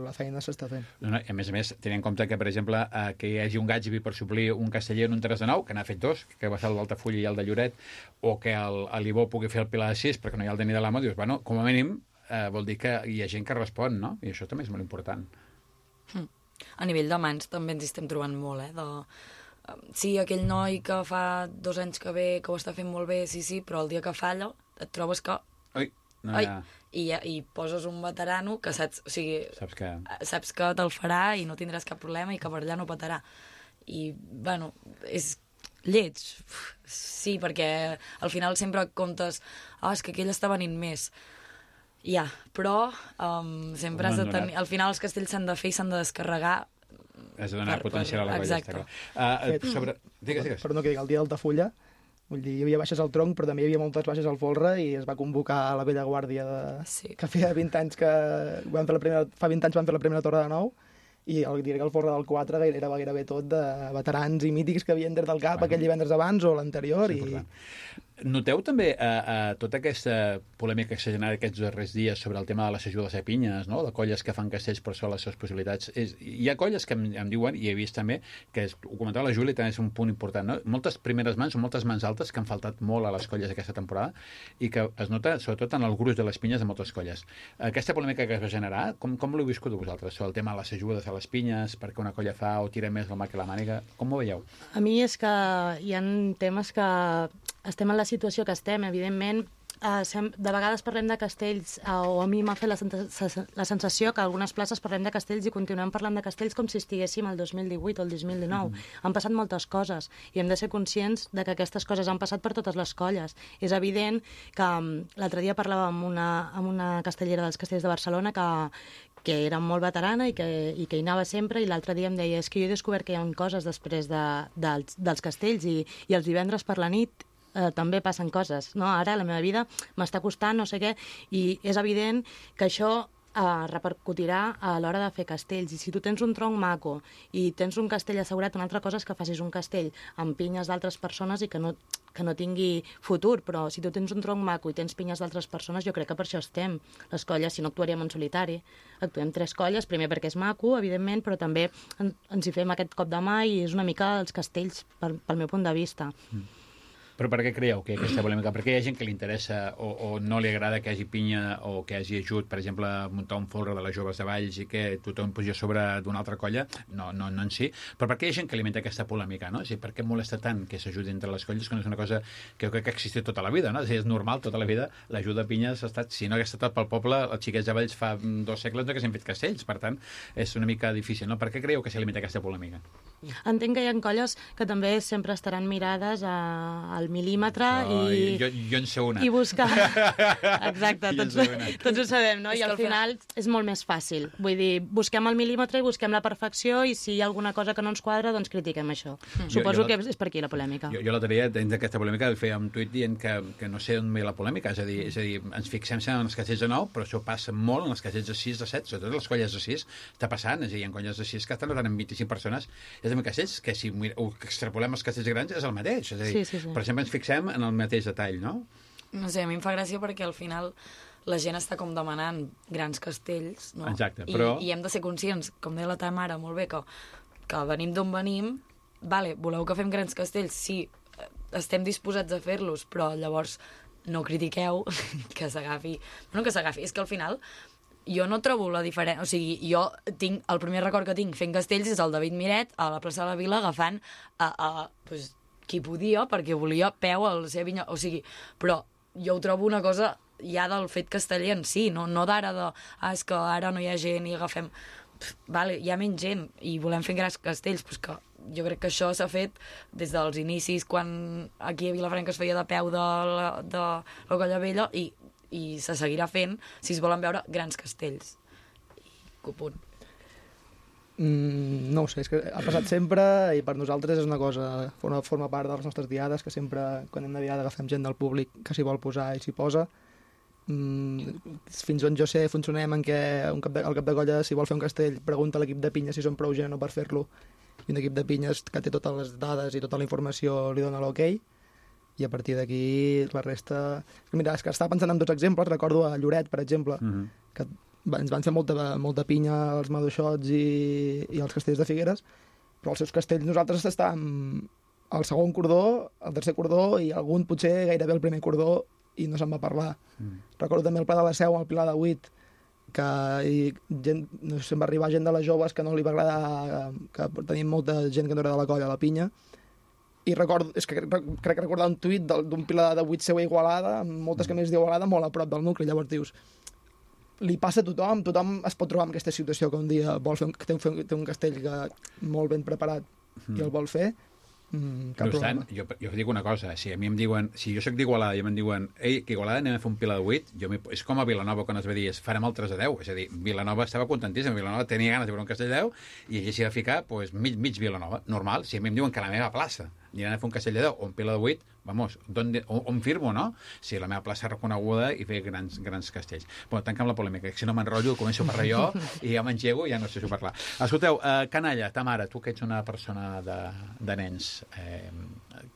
la feina s'està fent. No, a més, tenint en compte que, per exemple, que hi hagi un Gatsby per suplir un Casteller en un 3 de 9, que n'ha fet 2, que va ser el d'Altafulla i el de Lloret, o que l'Ibó pugui fer el Pilar de 6 perquè no hi ha el Dani de l'Amo, dius, bueno, com a mínim vol dir que hi ha gent que respon, no? I això també és molt important. A nivell de mans també ens estem trobant molt, sí, aquell noi que fa 2 anys que ve, que ho està fent molt bé, sí, però el dia que falla et trobes que... Ui, no hi ha... I poses un veterano que saps, o sigui, saps que te'l farà i no tindràs cap problema i que per allà no petarà. I, bueno, és lleig. Sí, perquè al final sempre comptes és que aquell està venint més. Ja, però sempre has de tenir... Al final els castells s'han de fer i s'han de descarregar. Has de donar potencial a la colla. Exacte. Digues. Perdó que digui, el dia d'Altafulla, vull dir, hi havia baixes al tronc, però també hi havia moltes baixes al folre i es va convocar a la vella guàrdia que feia 20 anys que fa 20 anys van fer la primera torre de nou i diré que el folre del 4 era gairebé tot de veterans i mítics que havien des del cap aquell divendres abans o l'anterior. Noteu també tota aquesta polèmica que s'ha generat aquests darrers dies sobre el tema de les ajudes a pinyes, no? De colles que fan castells per sobre les seves possibilitats. Hi ha colles que em diuen, i he vist també, que ho comentava la Júlia, també és un punt important, no? Moltes primeres mans o moltes mans altes que han faltat molt a les colles aquesta temporada i que es nota sobretot en el gruix de les pinyes de moltes colles. Aquesta polèmica que es va generar, com l'heu viscut vosaltres? Sobre el tema de les ajudes a les pinyes, perquè una colla fa o tira més la mà que la màniga, com ho veieu? A mi és que hi ha temes que estem en la situació que estem, evidentment. De vegades parlem de castells, o a mi m'ha fet la sensació que a algunes places parlem de castells i continuem parlant de castells com si estiguéssim el 2018 o el 2019. Han passat moltes coses i hem de ser conscients de que aquestes coses han passat per totes les colles. És evident que l'altre dia parlava amb una castellera dels castells de Barcelona que era molt veterana i que hi anava sempre, i l'altre dia em deia és que jo he descobert que hi ha coses després dels castells i els divendres per la nit també passen coses, no? Ara la meva vida m'està costant no sé què, i és evident que això repercutirà a l'hora de fer castells. I si tu tens un tronc maco i tens un castell assegurat, una altra cosa és que facis un castell amb pinyes d'altres persones i que no tingui futur, però si tu tens un tronc maco i tens pinyes d'altres persones, jo crec que per això estem. Les colles, si no actuaríem en solitari. Actuem 3 colles, primer perquè és maco, evidentment, però també ens hi fem aquest cop de mà i és una mica els castells, pel meu punt de vista. Però per què creieu que hi ha aquesta polèmica? Perquè hi ha gent que li interessa o no li agrada que hi hagi pinya o que hi hagi ajut, per exemple, a muntar un folre de les joves de Valls i que tothom pugi a sobre d'una altra colla? No en si. Però per què hi ha gent que alimenta aquesta polèmica, no? És a dir, per què molesta tant que s'ajudi entre les colles, que no és una cosa que jo crec que ha existit tota la vida, no? És a dir, és normal, tota la vida, l'ajut de pinyes ha estat, si no hagués estat pel poble, els xiquets de Valls fa 2 segles no haguessin fet castells, per tant, és una mica difícil, no? Per què creieu que s'alimenta aquesta polèmica? Entenc que hi ha colles que també sempre estaran mirades al mil·límetre jo en sé una. I buscar... Exacte, tots ho sabem, no? I al final és molt més fàcil. Vull dir, busquem el mil·límetre i busquem la perfecció i si hi ha alguna cosa que no ens quadra, doncs critiquem això. Suposo que és per aquí la polèmica. Jo l'altre dia, dins d'aquesta polèmica, feia un tuit dient que no sé on ve la polèmica, és a dir, ens fixem en els castells de 9, però això passa molt en els castells de 6, de 7, sobretot les colles de 6, està passant, és a dir, hi ha colles de 6 que estan notant amb 25 persones, és a dir, castells que si extrapolem els castells grans és el mateix, és a dir, per exemple ens fixem en el mateix detall, no? No sé, a mi em fa gràcia perquè al final la gent està com demanant grans castells, no? Exacte, però... I hem de ser conscients, com deia la teva mare molt bé, que venim d'on venim, vale, voleu que fem grans castells? Sí, estem disposats a fer-los, però llavors no critiqueu que s'agafi... No que s'agafi, és que al final jo no trobo la diferència... O sigui, jo tinc... El primer record que tinc fent castells és el David Miret a la plaça de la Vila agafant pues, qui podia, perquè volia peu a la seva vinya, o sigui, però jo ho trobo una cosa ja del fet casteller en si, no d'ara de, és que ara no hi ha gent i agafem... Vale, hi ha menys gent i volem fer grans castells, doncs que jo crec que això s'ha fet des dels inicis, quan aquí a Vilafranca es feia de peu de la Colla Vella i se seguirà fent si es volen veure grans castells. Punt. No ho sé, és que ha passat sempre i per nosaltres és una cosa, forma part de les nostres diades, que sempre quan anem de diada agafem gent del públic que s'hi vol posar i s'hi posa. Fins on jo sé funcionem en què el cap de colla, si vol fer un castell, pregunta a l'equip de pinyes si són prou gent o per fer-lo, i un equip de pinyes que té totes les dades i tota la informació li dona l'ok, i a partir d'aquí la resta... Mira, és que estava pensant en 2 exemples, recordo a Lloret, per exemple, que ens van fer molta pinya als maduixots i als castells de Figueres, però els seus castells nosaltres estàvem al segon cordó, al tercer cordó i algun potser gairebé al primer cordó i no se'n va parlar. Recordo també el Pla de la Seu amb el Pilar de 8, que no sé, va arribar gent de les joves que no li va agradar, que tenim molta gent que no era de la colla a la pinya, i recordo, crec recordar un tuit d'un Pilar de 8 seu a Igualada, amb moltes camises d'Igualada, molt a prop del nucli. Llavors dius, li passa a tothom es pot trobar en aquesta situació que un dia vol fer té un castell molt ben preparat i el vol fer, cap problema. Jo dic una cosa, si a mi em diuen, si jo soc d'Igualada i em diuen, ei, que Igualada anem a fer un Pilar de 8, és com a Vilanova quan es va dir, farem el 3 a 10, és a dir, Vilanova estava contentíssima, Vilanova tenia ganes de veure un castell de 10 i allà s'hi va ficar mig Vilanova, normal, si a mi em diuen que la meva plaça aniran a fer un castell de 10 o un Pilar de 8, vamos, on firmo, no? Si la meva plaça és reconeguda i fer grans castells. Bueno, tanca'm la polèmica, que si no m'enrotllo, començo a parlar jo i ja m'engego i ja no sé si parlar. Escolteu, canalla, ta mare, tu que ets una persona de nens,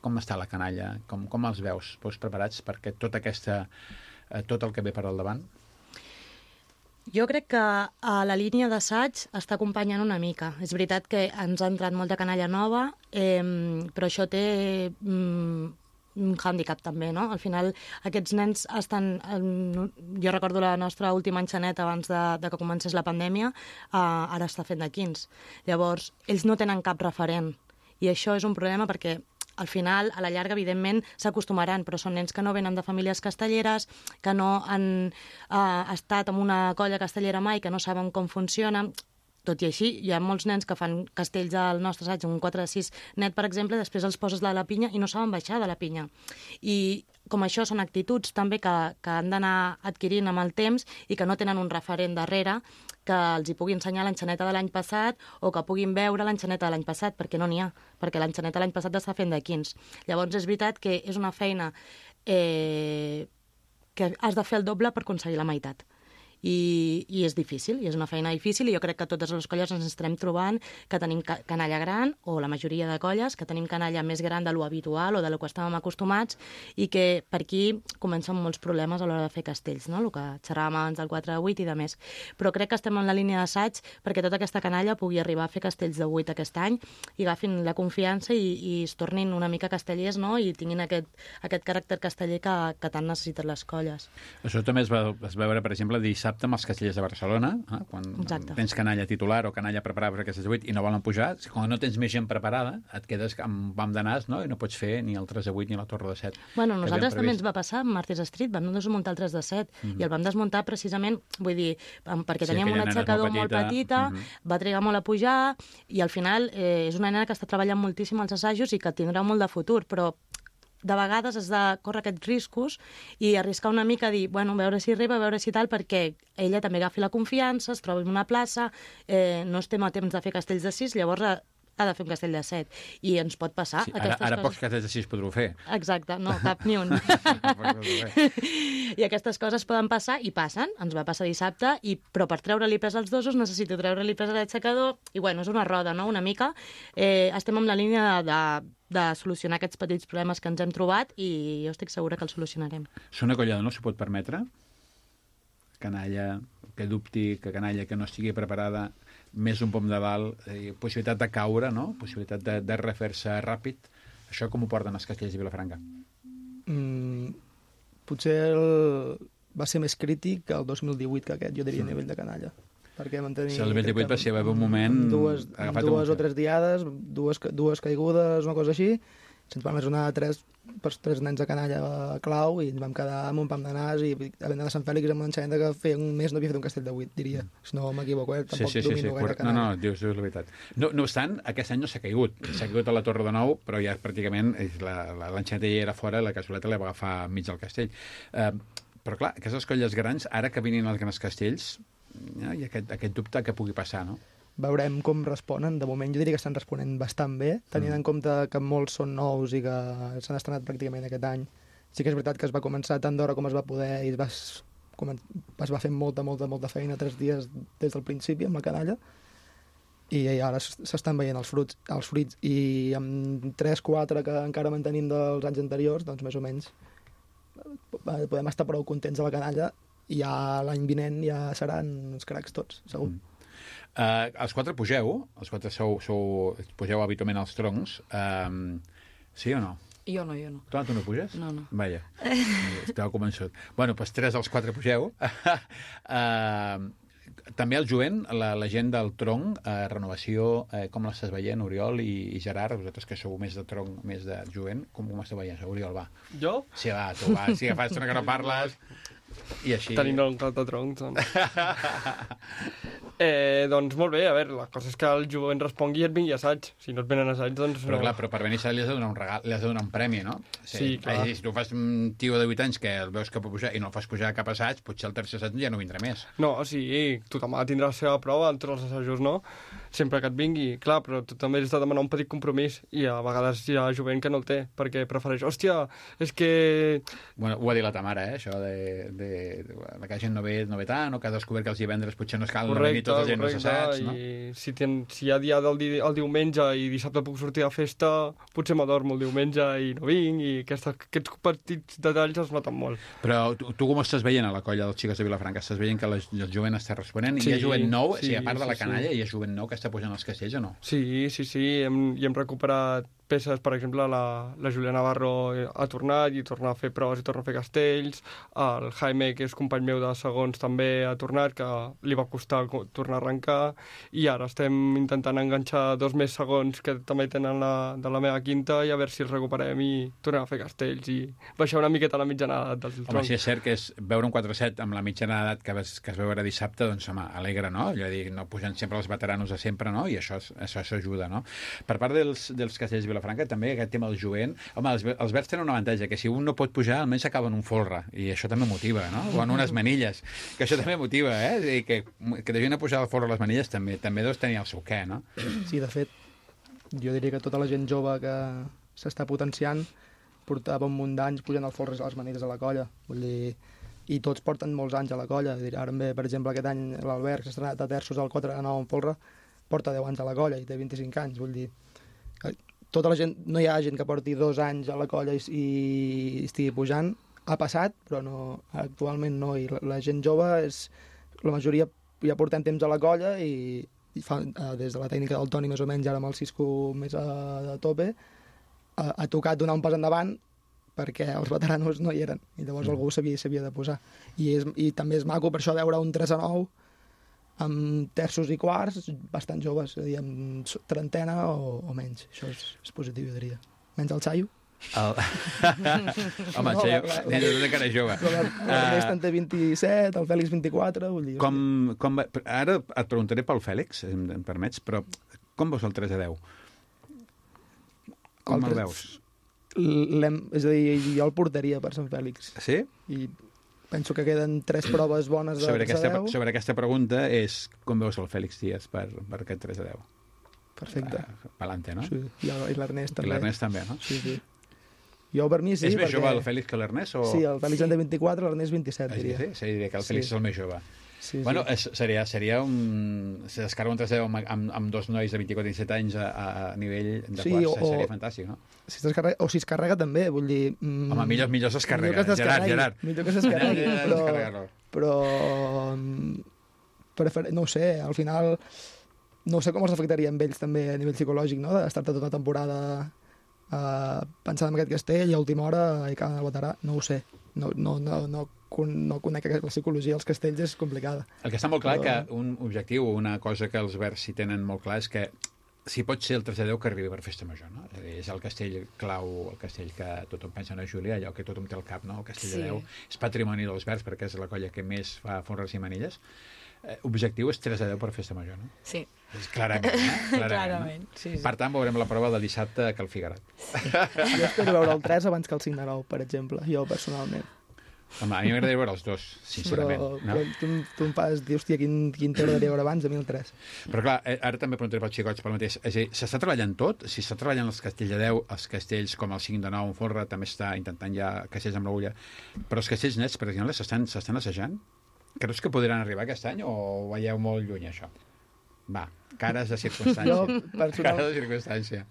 com està la canalla? Com els veus? Veus preparats perquè tot el que ve per al davant? Jo crec que la línia d'assaig està acompanyant una mica. És veritat que ens ha entrat molta canalla nova, però això té un hàndicap també, no? Al final, aquests nens estan... Jo recordo la nostra última enxaneta abans de que comencés la pandèmia, ara està fent de 15. Llavors, ells no tenen cap referent. I això és un problema perquè al final, a la llarga, evidentment, s'acostumaran, però són nens que no venen de famílies castelleres, que no han estat en una colla castellera mai, que no saben com funciona. Tot i així, hi ha molts nens que fan castells al nostre assaig, un 4-6 net, per exemple, després els poses de la pinya i no saben baixar de la pinya. I com això són actituds també que han d'anar adquirint amb el temps i que no tenen un referent darrere que els hi pugui ensenyar l'enxaneta de l'any passat o que puguin veure l'enxaneta de l'any passat, perquè no n'hi ha, perquè l'enxaneta de l'any passat està fent de 15. Llavors és veritat que és una feina que has de fer el doble per aconseguir la meitat. I és difícil, i és una feina difícil, i jo crec que totes les colles ens estarem trobant que tenim canalla gran, o la majoria de colles, que tenim canalla més gran de lo habitual o de lo que estàvem acostumats, i que per aquí comencen molts problemes a l'hora de fer castells, no? El que xerràvem abans del 4 a 8 i de més. Però crec que estem en la línia d'assaig perquè tota aquesta canalla pugui arribar a fer castells de 8 aquest any i agafin la confiança i es tornin una mica castellers, no? I tinguin aquest caràcter casteller que tant necessiten les colles. Això també es va veure, per exemple, dissabte amb els castellers de Barcelona, quan tens canalla titular o canalla preparada per aquestes 8 i no volen pujar, quan no tens més gent preparada, et quedes amb bam de nas, no? I no pots fer ni el 3 de 8 ni la torre de 7. Bueno, nosaltres també ens va passar amb Martys Street, vam desmuntar el 3 de 7 i el vam desmuntar precisament, vull dir, perquè teníem un aixecador molt petita, va trigar molt a pujar i al final és una nena que està treballant moltíssim als assajos i que tindrà molt de futur, però de vegades has de córrer aquests riscos i arriscar una mica a dir, bueno, a veure si arriba, a veure si tal, perquè ella també agafi la confiança, es troba en una plaça, no estem a temps de fer castells de 6, llavors ha de fer un castell de 7. I ens pot passar aquestes coses. Ara pocs castells de 6 podreu fer. Exacte, no, cap ni un. I aquestes coses poden passar i passen. Ens va passar dissabte, però per treure-li pes als dosos necessito treure-li pes a l'aixecador i, bueno, és una roda, no?, una mica. Estem en la línia de solucionar aquests petits problemes que ens hem trobat i jo estic segura que els solucionarem. Una colla no s'ho pot permetre? Canalla que dubti, que canalla que no estigui preparada, més un pom de dalt, possibilitat de caure, no? Possibilitat de refer-se ràpid. Això com ho porten els castellers de Vilafranca? Potser va ser més crític que el 2018 que aquest, jo diria, a nivell de canalla. Perquè vam tenir... Si el 2018 va ser un moment... Dues o tres diades, dues caigudes, una cosa així, se'ns van lesionar tres nens de canalla clau i ens vam quedar amb un pam de nas i havent d'anar a Sant Fèlix amb una enxaneta que feia un mes no havia fet un castell de 8, diria. Si no m'equivoco, tampoc domino gaire canalla. No, dius la veritat. No obstant, aquest any no s'ha caigut. S'ha caigut a la Torre de Nou, però ja pràcticament l'enxaneta ja era fora, la cassoleta la va agafar mig del castell. Però clar, aquestes colles grans, ara que vinin els grans castells, hi ha aquest dubte que pugui passar, no? Veurem com responen. De moment jo diria que estan responent bastant bé, tenint en compte que molts són nous i que s'han estrenat pràcticament aquest any. Sí que és veritat que es va començar tant d'hora com es va poder i es va fer molta feina 3 dies des del principi amb la canalla, i ara s'estan veient els fruits, i amb 3-4 que encara mantenim dels anys anteriors, doncs més o menys podem estar prou contents de la canalla, i ja l'any vinent ja seran uns cracs tots, segur. Els 4 pugeu, els 4 pugeu habitualment als troncs, sí o no? Jo no. Tu no puges? No. Vaja, estava convençut. Bueno, doncs 3 dels 4 pugeu. També el jovent, la gent del tronc, renovació, com l'estàs veient, Oriol i Gerard, vosaltres que sou més de tronc, més de jovent, com ho esteu veient? Oriol, va. Jo? Sí, va, tu va, sí que fa estona que no parles, i així... Tenim un cap de tronc, doncs. Doncs molt bé, a veure, la cosa és que el jovent respongui i et vingui a assaig. Si no et venen a assaig, doncs... Però clar, però per venir a assaig li has de donar un regal, li has de donar un premi, no? Sí, clar. Si tu fas un tio de 8 anys que el veus que pot pujar i no el fas pujar a cap assaig, potser el tercer assaig ja no vindrà més. No, sí, tothom ha de tindre la seva prova, en tots els assajos no, sempre que et vingui. Clar, però tu també has de demanar un petit compromís, i a vegades hi ha jovent que no el té, perquè prefereix, hòstia, és que... Bueno, ho ha dit la Tamara, això de que la gent no ve tant, o que ha descobert que els divendres potser no es cal venir tots els gent als assaigs, no? I si hi ha dia el diumenge i dissabte puc sortir a festa, potser m'adormo el diumenge i no vinc, i aquests petits detalls es noten molt. Però tu com estàs veient a la colla dels xiques de Vilafranca? Estàs veient que el jovent està responent? Sí, hi ha jovent nou? sí, a part de la canalla, sí. Hi ha jovent nou que està pujant als castells o no? Sí, hem recuperat peces, per exemple, la Julia Navarro ha tornat i torna a fer proves i torna a fer castells, el Jaime, que és company meu de segons, també ha tornat, que li va costar tornar a arrencar, i ara estem intentant enganxar 2 més segons que també tenen de la meva quinta, i a veure si els recuperem i tornem a fer castells i baixar una miqueta la mitjana edat del tronc. Home, si és cert que és veure un 4-7 amb la mitjana edat que es veu ara dissabte, doncs, home, alegra, no? Jo dic, no pugen sempre els veteranos de sempre, no? I això ajuda, no? Per part dels castells de Vilafranca, també aquest tema del jovent, home, els verds tenen un avantatge, que si un no pot pujar, almenys s'acaba en un folre, i això també motiva, no? O en unes manilles, que això també motiva, I que de gent a pujar al folre a les manilles també deus tenir el seu què, no? Sí, de fet, jo diria que tota la gent jove que s'està potenciant portava un munt d'anys pujant al folre a les manilles de la colla, vull dir, i tots porten molts anys a la colla. Ara, per exemple, aquest any l'Albert, que s'ha estrenat a terços al 4-9 en folre, porta 10 anys a la colla i té 25 anys, vull dir, tota la gent, no hi ha gent que porti 2 anys a la colla i estigui pujant, ha passat, però no, actualment no, i la gent jove la majoria ja portem temps a la colla i fa, des de la tècnica del Toni més o menys, ara amb el Cisco més a tope, ha tocat donar un pas endavant perquè els veteranos no hi eren, i llavors algú s'havia de posar, i també és maco per això veure un 3-9 amb terços i quarts bastant joves, és a dir, amb trentena o menys. Això és positiu, jo diria. Menys el Xaio. Home, el Xaio, de cara jove. L'Ernest en té 27, el Fèlix 24, vull dir... Ara et preguntaré pel Fèlix, em permets, però com veus el 3-10? Com el veus? És a dir, jo el portaria per Sant Fèlix. Sí? I penso que queden 3 proves bones de 3-10. Sobre aquesta pregunta és com veus el Fèlix Díaz per aquest 3-10? Perfecte. Palante, no? Sí, i l'Ernest també. I l'Ernest també, no? Sí. Jo per mi sí, és més jove el Fèlix que l'Ernest? Sí, el Fèlix en té 24, l'Ernest 27, diria. Sí, diria que el Fèlix és el més jove. Sí, bueno, seria un... Se descarga un 3-10 amb 2 nois de 24 i 27 anys a nivell de quarts, seria fantàstic, no? Si es carrega també, vull dir... Home, millor s'escarrega. Gerard. Millor que s'escarregui, però no ho sé, al final no sé com els afectaria amb ells també a nivell psicològic, no? D'estar-te tota la temporada pensant en aquest castell i a última hora i cada veterà, no ho sé. No conec la psicologia dels castells, és complicada. El que està molt clar que un objectiu, una cosa que els verds hi tenen molt clar és que si pot ser el 3-10 que arribi per festa major, no? És el castell clau, el castell que tothom pensa en la Júlia, allò que tothom té al cap, no? El castell de 10 és patrimoni dels verds perquè és la colla que més fa fonres i manilles. Objectiu és 3-10 per festa major, no? Sí. Clarament, clarament, no? sí. Per tant, veurem la prova de dissabte a Cal Figuerat. Jo espero veure el 3 abans que el 5-9, per exemple, jo personalment. Home, a mi m'agradaria veure els dos, sincerament. Però tu em fas dir, hòstia, quin t'agradaria veure abans, a mi el 3. Però clar, ara també preguntaré pels xicots pel mateix. És a dir, s'està treballant tot? Si s'està treballant els castells de 10, els castells com el 5 de 9 en folre, també està intentant ja castells amb l'agulla. Però els castells nets, per exemple, s'estan assajant? Creus que podran arribar aquest any o ho veieu molt lluny, això? Va, cares de circumstància. Cares de circumstància.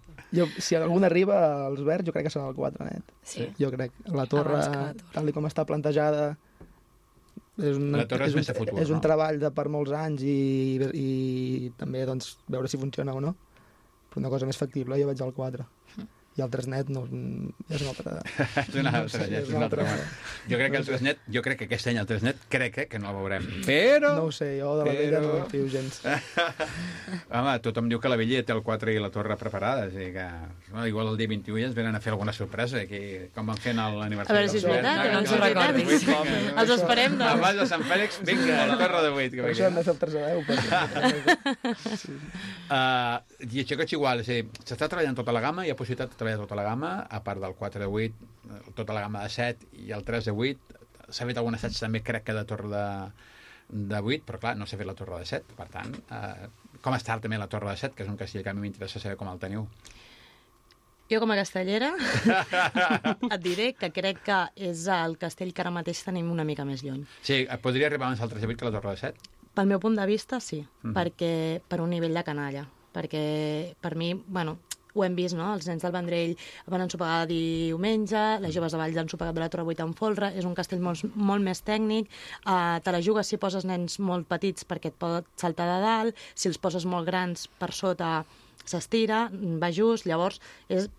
Si algun arriba als verds, jo crec que serà el 4 net. Sí. Jo crec. La torre, tal com està plantejada... La torre és més de futur, és un treball per molts anys i també doncs, veure si funciona o no. Però una cosa més factible, jo veig el 4. I el 3 net no, és una altra... és una altra. Jo crec que el 3 net, jo crec que aquest any el 3 net, crec que no el veurem. Però... No ho sé, jo de la vella no en fio gens. Home, tothom diu que la vella té el 4 i la torre preparades, i que igual el dia 21 ja ens venen a fer alguna sorpresa, aquí, com van fent l'aniversari. A veure si és veritat, que no ens ho recordis. Els esperem, doncs. Abans de Sant Fèlix, vinga, la torre de 8. Per això hem de fer el 3 a 10. I això que és igual, és a dir, s'està treballant tota la gamma, hi ha possibilitat de treballar tota la gamma, a part del 4 de 8, tota la gamma de 7 i el 3 de 8. S'ha fet algun assaig també, crec que de torre de 8, però clar, no s'ha fet la torre de 7. Per tant, com està també la torre de 7, que és un castell que a mi m'interessa saber com el teniu. Jo, com a castellera, et diré que crec que és el castell que ara mateix tenim una mica més lluny. Sí, podria arribar abans el 3 de 8 que la torre de 7? Pel meu punt de vista, sí, perquè per un nivell de canalla. Perquè per mi, bueno, ho hem vist, no? Els nens del Vendrell van ensopegar diumenge, les joves de Valls han ensopegat de la Torre 8 en folre, és un castell molt més tècnic, te la jugues si poses nens molt petits perquè et pot saltar de dalt, si els poses molt grans per sota s'estira, va just, llavors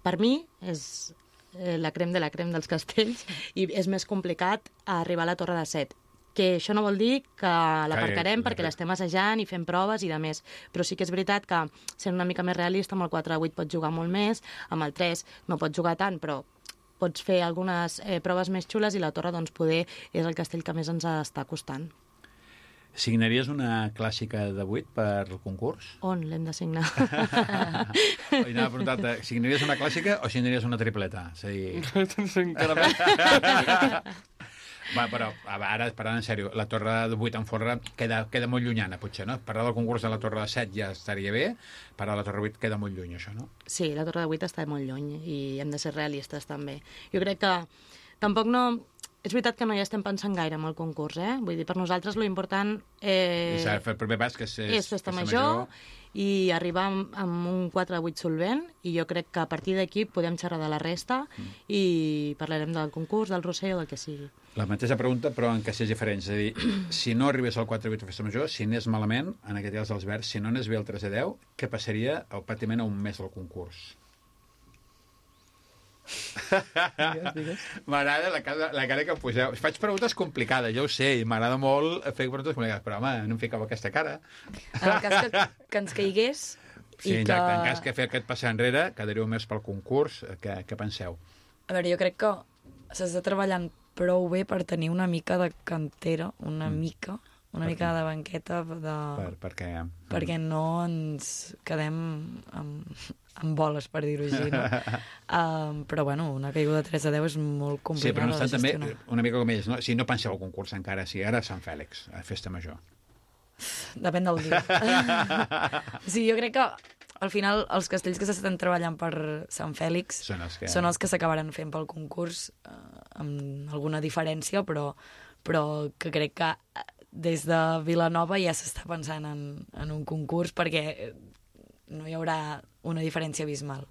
per mi és la crem de la crem dels castells i és més complicat arribar a la Torre de 7. Que això no vol dir que l'aparcarem perquè l'estem assajant i fem proves i de més, però sí que és veritat que sent una mica més realista, amb el 4-8 pots jugar molt més, amb el 3 no pots jugar tant, però pots fer algunes proves més xules i la torre, doncs, poder és el castell que més ens està costant. Signaries una clàssica de 8 per el concurs? On l'hem de signar? Anava a preguntar-te, signaries una clàssica o signaries una tripleta? És a dir... Encara més. Va, però ara, parlant en sèrio, la torre de 8 en folre queda molt llunyana, potser, no? Parlar del concurs de la torre de 7 ja estaria bé, parlar de la torre de 8 queda molt lluny, això, no? Sí, la torre de 8 està molt lluny i hem de ser realistes, també. Jo crec que tampoc no... És veritat que no hi estem pensant gaire en el concurs, eh? Vull dir, per nosaltres lo important és el primer pas, que és festa major i arribar amb un 4-8 solvent, i jo crec que a partir d'aquí podem xerrar de la resta i parlarem del concurs, del Roser o del que sigui. La mateixa pregunta, però en castells diferents. És a dir, si no arribés al 4-8 a festa major, si anés malament, en aquest cas dels verds, si no anés bé el 3-10, què passaria pràcticament a un mes del concurs? Digues. M'agrada la cara que em poseu. Faig preguntes complicades, ja ho sé, i m'agrada molt fer preguntes complicades, però home, no em ficava aquesta cara. En el cas que ens caigués... Sí, exacte, en cas que fer aquest passar enrere, quedaríeu més pel concurs, què penseu? A veure, jo crec que s'està treballant prou bé per tenir una mica de cantera, una mica de banqueta per què? Perquè no ens quedem amb boles, per dir-ho així, no? Però, bueno, una caiguda de 3-10 és molt complicada. Sí, però no estan també una mica com ells, no? Si no penseu al concurs encara, si ara Sant Fèlix, a festa major. Depèn del dia. Sí, jo crec que al final els castells que s'estan treballant per Sant Fèlix són els que s'acabaran fent pel concurs, amb alguna diferència, però que crec que des de Vilanova ja s'està pensant en un concurs perquè no hi haurà una diferència abismal.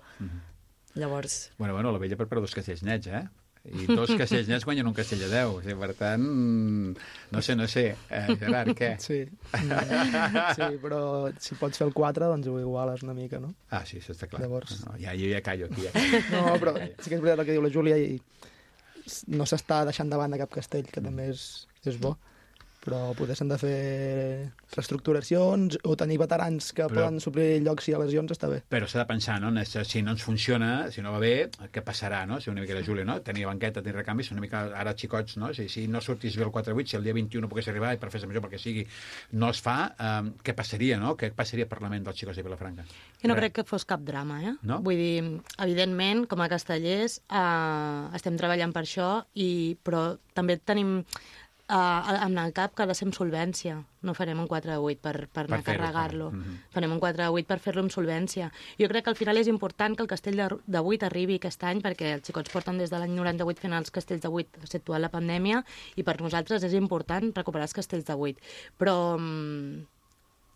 Llavors... Bueno, la vella prepara 2 castells nets, eh? I 2 castells nets guanyen un castell de 10. O sigui, per tant, no sé. Gerard, què? Sí, però si pots fer el 4, doncs ho iguales una mica, no? Ah, sí, això està clar. Llavors... No, jo ja callo aquí. No, però sí que és veritat el que diu la Júlia i no s'està deixant de banda cap castell, que també és bo. Però potser s'han de fer reestructuracions o tenir veterans que poden suplir llocs si hi ha lesions, està bé. Però s'ha de pensar, no? Si no ens funciona, si no va bé, què passarà, no? Si una mica la Júlia, no? Tenir banqueta, tenir recanvis, una mica ara xicots, no? Si no sortís bé el 4-8, si el dia 21 pogués arribar i per festa major, perquè sigui, no es fa, què passaria, no? Què passaria per la ment dels xicots de Vilafranca? Jo no crec que fos cap drama, eh? No? Vull dir, evidentment, com a castellers, estem treballant per això, però també tenim... en el cap que ha de ser amb solvència. No farem un 4-8 per anar a carregar-lo. Farem un 4-8 per fer-lo amb solvència. Jo crec que al final és important que el castell de 8 arribi aquest any, perquè els xicots porten des de l'any 98 fent els castells de 8, exceptuant la pandèmia, i per nosaltres és important recuperar els castells de 8. Però...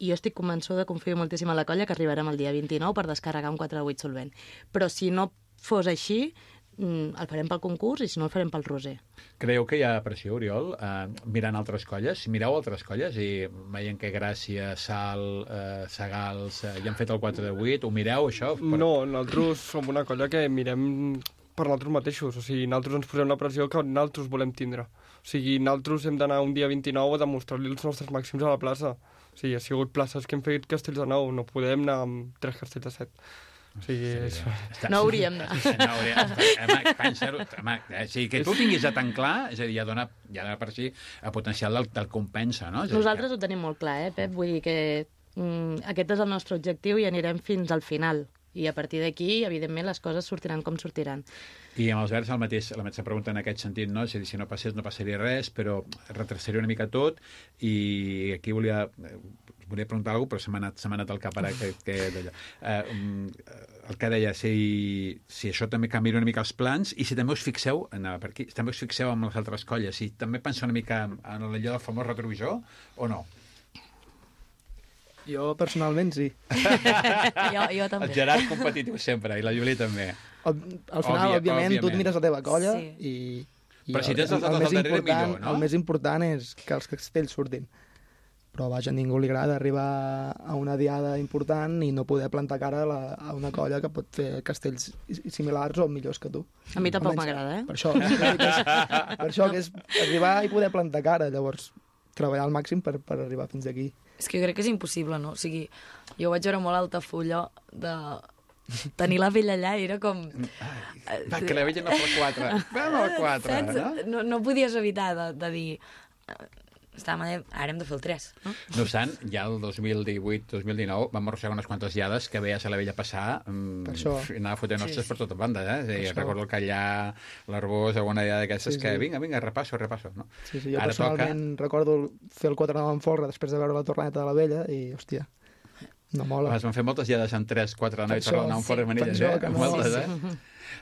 i jo estic convençuda, confio moltíssim en la colla, que arribarem el dia 29 per descarregar un 4-8 solvent. Però si no fos així, el farem pel concurs i si no el farem pel Roser. Creieu que hi ha pressió, Oriol, mirant altres colles? Mireu altres colles i veient que Gràcia, Sal, Sagals ja han fet el 4-8, ho mireu, això? No, nosaltres som una colla que mirem per nosaltres mateixos, o sigui, nosaltres ens posem la pressió que nosaltres volem tindre. O sigui, nosaltres hem d'anar un dia 29 a demostrar-li els nostres màxims a la plaça. O sigui, ha sigut places que hem fet castells de 9, no podem anar amb 3 castells de 7. O sigui, no hauríem de... O sigui, que tu ho tinguis tan clar, és a dir, ja dona per si el potencial del compensa, no? Nosaltres ho tenim molt clar, Pep? Vull dir que aquest és el nostre objectiu i anirem fins al final. I a partir d'aquí, evidentment, les coses sortiran com sortiran. I amb els verds la mateixa pregunta en aquest sentit, no? És a dir, si no passés no passaria res, però retrocediria una mica tot, i aquí volia preguntar alguna cosa, però se m'ha anat al cap ara el que deia, si això també canvia una mica els plans, i si també us fixeu, per aquí, també us fixeu amb les altres colles, si també penseu una mica en allò del famós retrovisor, o no? Jo, personalment, sí. jo també. El Gerard competitiu sempre, i la Júlia també. Al final, òbviament, tu et mires la teva colla i però si tens els altres al darrere, millor, no? El més important és que els castells surtin. Però, vaja, a ningú li agrada arribar a una diada important i no poder plantar cara a una colla que pot fer castells similars o millors que tu. A mi tampoc m'agrada, Per això que és arribar i poder plantar cara, llavors treballar al màxim per arribar fins aquí. És que jo crec que és impossible, no? O sigui, jo vaig veure molt Altafulla de tenir la vella allà, era com... Va, que la vella no fa 4. Vam al 4, no? No podies evitar de dir... Ara hem de fer el 3, no? No obstant, ja el 2018-2019 vam arrossegar unes quantes diades que veies a la vella passar i anava fotent hostes per tota banda, recordo el Callà, l'Arbós, alguna diada d'aquestes que vinga, repasso, no? Sí, jo personalment recordo fer el 4 de l'Enfolra després de veure la torneta de la vella i, hòstia, no mola. Es van fer moltes diades amb 3-4 de nit per anar a Enfolra i Manilles, moltes,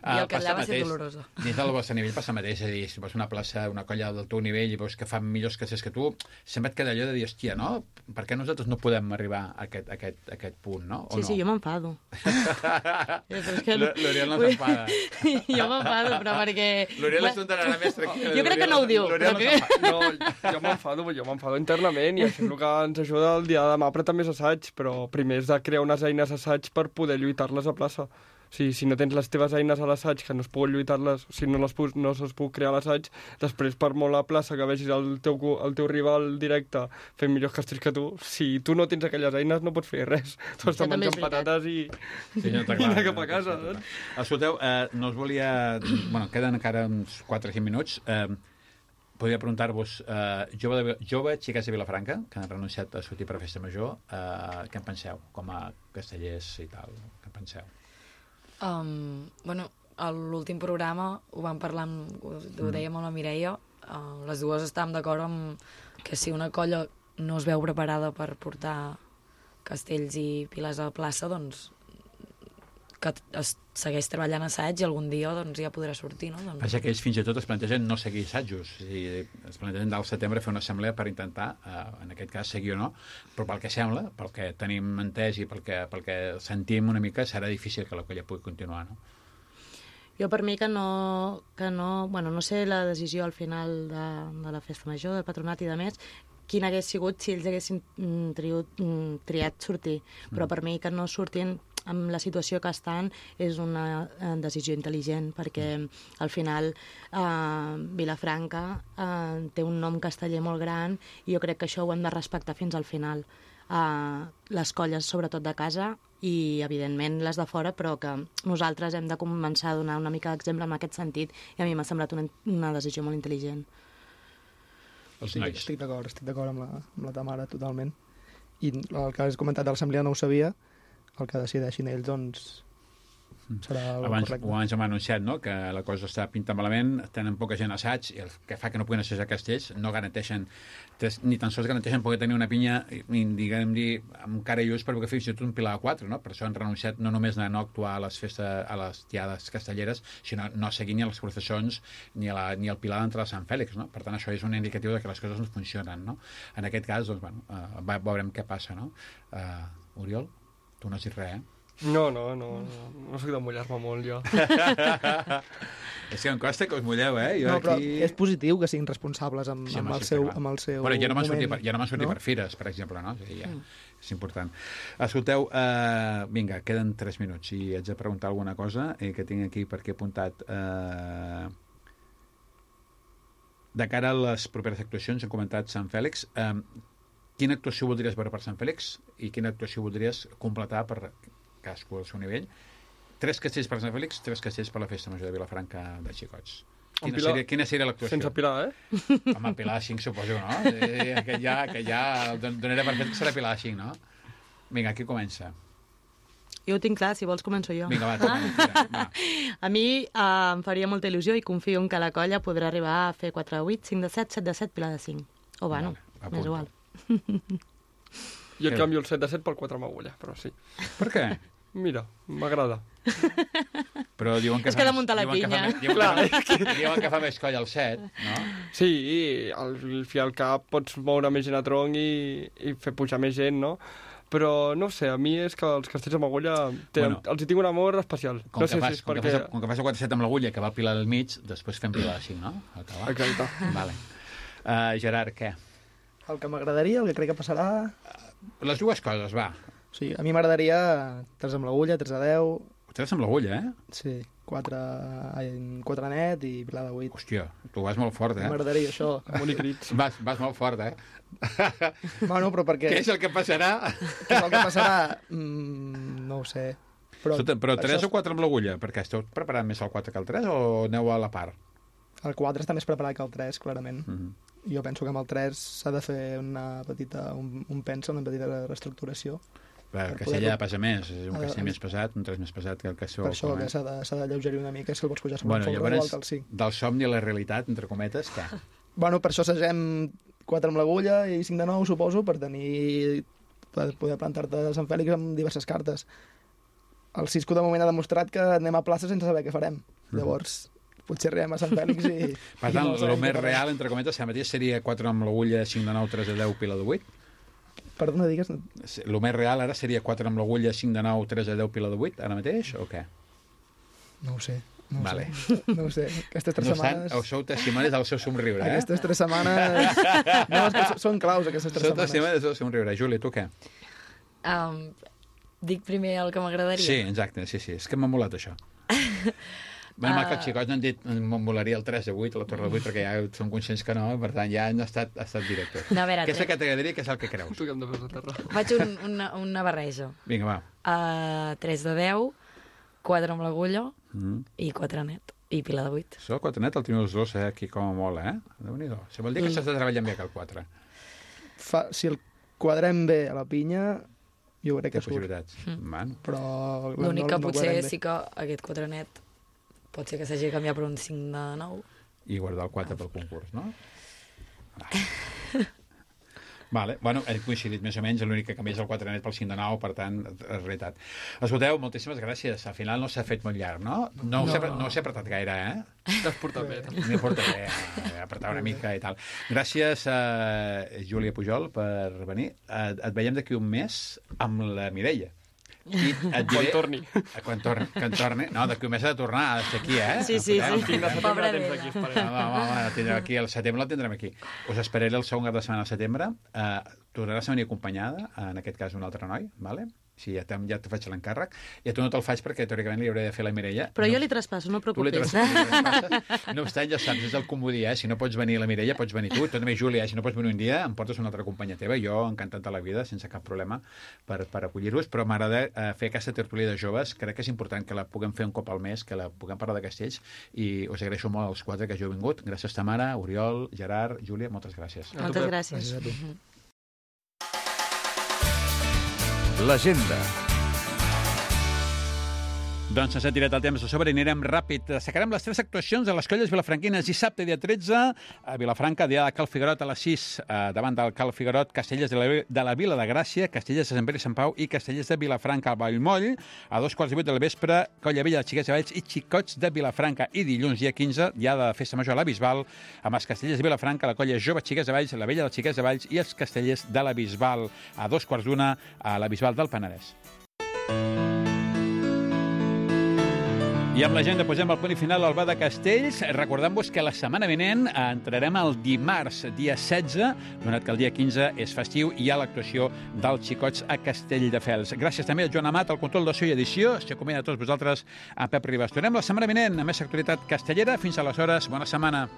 I el Callà va ser dolorosa. Dins del vostre nivell passa el mateix, és a dir, si vas a una plaça, una colla del teu nivell i veus que fan millors castells que tu, sempre et queda allò de dir, hòstia, no? Per què nosaltres no podem arribar a aquest punt, no? Sí, jo m'enfado. L'Oriol no s'enfada. Jo m'enfado, però perquè... L'Oriol és un tarannà més tranquil. Jo crec que no ho diu. No, jo m'enfado internament i això és el que ens ajuda el dia de demà, però també és assaig, però primer és de crear unes eines assaig per poder lluitar-les a plaça. Si no tens les teves eines a l'assaig, que no es poden lluitar-les, si no se'ls puc crear a l'assaig, després per molt a plaça que vegis el teu rival directe fent millors castells que tu, si tu no tens aquelles eines no pots fer res. Tu has de menjar patates i anar cap a casa. Escolteu, no us volia... Bueno, queden encara uns 4 o 5 minuts. Podria preguntar-vos, jove xiques de Vilafranca, que han renunciat a sortir per festa major, què en penseu? Com a castellers i tal, què en penseu? Bueno, a l'últim programa ho vam parlar, ho dèiem amb la Mireia, les dues estàvem d'acord amb que si una colla no es veu preparada per portar castells i piles a la plaça, doncs que es segueix treballant assaig i algun dia doncs, ja podrà sortir, no? Passa que ells fins i tot es plantegen no seguir assajos, es plantegen del setembre fer una assemblea per intentar, en aquest cas, seguir o no, però pel que sembla, pel que tenim entès i pel que sentim una mica, serà difícil que la colla pugui continuar, no? Jo per mi que no... Bueno, no sé la decisió al final de la festa major, del patronat i de més, quin hagués sigut si ells haguessin triat sortir, però per mi que no surtin amb la situació que estan és una decisió intel·ligent, perquè al final Vilafranca té un nom casteller molt gran i jo crec que això ho hem de respectar fins al final. Les colles, sobretot de casa, i evidentment les de fora, però que nosaltres hem de començar a donar una mica d'exemple en aquest sentit, i a mi m'ha semblat una decisió molt intel·ligent. Estic d'acord amb la Tamara, totalment. I el que has comentat de l'assemblea no ho sabia, el que decideixin ells, doncs, serà el Abans correcte. hem anunciat, no?, que la cosa està pintant malament, tenen poca gent a assaig, i el que fa que no puguin assajar Castells no garanteixen, ni tan sols garanteixen poder tenir una pinya, diguem-ne, amb cara i ulls, perquè fins i tot un pilar de 4, no? Per això han renunciat no només a no actuar a les festes, a les tiades castelleres, sinó no seguir ni a les processons ni al pilar d'entrada de Sant Fèlix, no? Per tant, això és un indicatiu de que les coses no funcionen, no? En aquest cas, doncs, bueno, veurem què passa, no? Oriol, tu no has dit res, eh? No soc de mullar-me molt, jo. És que em costa que us mulleu, eh? Jo No, però aquí... és positiu que siguin responsables amb Sí, home, el sí, seu clar. moment. Bueno, ja no m'han sortit per fires, per exemple, no? O sigui, és important. Escolteu, vinga, queden 3 minuts i haig de preguntar alguna cosa que tinc aquí perquè he apuntat. De cara a les properes actuacions, hem comentat Sant Fèlix. Quina actuació voldries veure per Sant Fèlix i quina actuació voldries completar per cadascú al seu nivell? 3 castells per Sant Fèlix, 3 castells per la Festa Major de Vilafranca de Xicots. Quina seria l'actuació? Sense Pilar, eh? Home, Pilar de 5, suposo, no? Que ja donaré per fet que serà Pilar de 5, no? Vinga, qui comença? Jo ho tinc clar, si vols començo jo. Vinga, va. A mi em faria molta il·lusió i confio en que la colla podrà arribar a fer 4 de 8, 5 de 7, 7 de 7, Pilar de 5. O bueno, m'és igual. Jo et canvio el 7 de 7 pel 4 amb agulla, però sí. Per què? Mira, m'agrada. Però diuen que és que damunt de la pinya. Diuen que fa més colla el 7, no? Sí, al fi al cap pots moure més gent a tronc i fer pujar més gent, no? Però, no sé, a mi és que els castells amb agulla els hi tinc un amor especial. Com que fas el 4-7 amb l'agulla, que va el Pilar al mig, després fem Pilar de 5, no? Exacte. Vale. Gerard, què? El que m'agradaria, el que crec que passarà... Les dues coses, va. Sí, a mi m'agradaria 3 amb l'agulla, 3 de 10... 3 amb l'agulla, eh? Sí, 4 net i Pilar de 8. Hòstia, tu vas molt fort, eh? M'agradaria això. Bonic crits. Vas molt fort, eh? Bueno, però perquè... Què és el que passarà? Què és el que passarà? No ho sé. Però 3 o 4 amb l'agulla? Perquè esteu preparant més el 4 que el 3 o aneu a la part? El 4 està més preparat que el 3, clarament. Jo penso que amb el 3 s'ha de fer una petita reestructuració. El castell ha de pesar més, és un castell més pesat, un 3 més pesat que el que sou. Per això que s'ha d'alleugerir una mica, si el vols pujar sobre el folre, llavors, igual que el 5. Del somni a la realitat, entre cometes, què? Bueno, per això assagem 4 amb l'agulla i 5 de 9, suposo, per poder plantar-te a Sant Fèlix amb diverses cartes. El Cisco de moment ha demostrat que anem a plaça sense saber què farem. Llavors, potser arribem a Sant Fèlix i... Per tant, el més real, entre cometes, si mateix seria 4 amb l'agulla, 5 de 9, 3 de 10, Pilar de 8? Perdona, digues... El més real ara seria 4 amb l'agulla, 5 de 9, 3 de 10, Pilar de 8, ara mateix, o què? No ho sé. Vale. No ho sé. Aquestes 3 setmanes... Sou testimonis del seu somriure, eh? Aquestes 3 setmanes... No, és que són claus, aquestes 3 setmanes. Sou testimonis del seu somriure. Júlia, tu què? Dic primer el que m'agradaria. Sí, exacte, sí. És que m'ha molat això. Bueno, que els xicots no han dit me'n volaria el 3 de 8 o la torre de 8 perquè ja som conscients que no, per tant ja han estat directors. No, a veure, què és el que t'agradaria, què és el que creus? Tu que hem de fer a terra. Faig una barreja. Vinga, va. 3 de 10, 4 amb l'agulla i 4 net. I Pilar de 8. Això, el 4 net el teniu els dos, aquí com a mola, eh? Déu-n'hi-do. Això vol dir que s'està treballant bé que el 4. Si el quadrem bé a la pinya, jo crec que surt. Possibilitats. Però l'únic que potser sí que aquest 4 net pot ser que s'hagi de canviar per un 5 de 9. I guardar el 4 pel concurs, no? Vale. Bueno, hem coincidit més o menys, l'únic que canvia és el 4 net pel 5 de 9, per tant, és veritat. Escolteu, moltíssimes gràcies. Al final no s'ha fet molt llarg, no? No us he apretat gaire, eh? T'has portat bé. M'he portat bé, apretar una mica i tal. Gràcies a Júlia Pujol per venir. Et veiem d'aquí un mes amb la Mireia. I et diré... Quan torni. No, d'aquí un mes ha de tornar, ha d'estar aquí, eh? Sí. Pobre vella. Tindrem aquí, al setembre la tindrem aquí. Us esperaré el segon cap de setmana de setembre. Tornaràs a venir acompanyada, en aquest cas un altre noi, vale? Sí, ja te faig l'encàrrec. I a tu no te'l faig perquè teòricament li hauré de fer la Mireia. Però jo li traspasso, no preocupis. No obstant, ja saps, és el comodí, eh? Si no pots venir la Mireia, pots venir tu. També, Júlia, si no pots venir un dia, em portes una altra companya teva. Jo, encantat de la vida, sense cap problema per acollir-vos. Però m'agrada fer aquesta tertúlia de joves. Crec que és important que la puguem fer un cop al mes, que la puguem parlar de castells. I us agraeixo molt als 4 que hagi vingut. Gràcies, Tamara, Oriol, Gerard, Júlia, moltes gràcies. Moltes gràcies. Gràcies a tu. L'agenda. Doncs ens ha tirat el temps de sobre i anirem ràpid. Destacarem les 3 actuacions de les colles vilafranquines. Dissabte, dia 13, a Vilafranca, dia de Cal Figuerot a les 6, davant del Cal Figuerot, Castellers de la Vila de Gràcia, Castellers de Sant Pere i Sant Pau i Castellers de Vilafranca al Vallmoll. A 2:15 del vespre, Colla Vella de Xiquets de Valls i Xicots de Vilafranca. I dilluns, dia 15, dia de festa major a la Bisbal, amb els Castellers de Vilafranca, la Colla Jove Xiquets de Valls, la Vella de Xiquets de Valls i els Castellers de la Bisbal. A 2:15 a la Bisbal del Penedès. I amb l'agenda posem el punt final al Bar de Castells, recordant-vos que la setmana vinent entrarem el dimarts, dia 16, donat que el dia 15 és festiu i hi ha l'actuació dels Xicots a Castelldefels. Gràcies també a Joan Amat, al control de so i edició. S'acomida a tots vosaltres a Pep Ribas. Tornem la setmana vinent amb més actualitat castellera. Fins aleshores, bona setmana.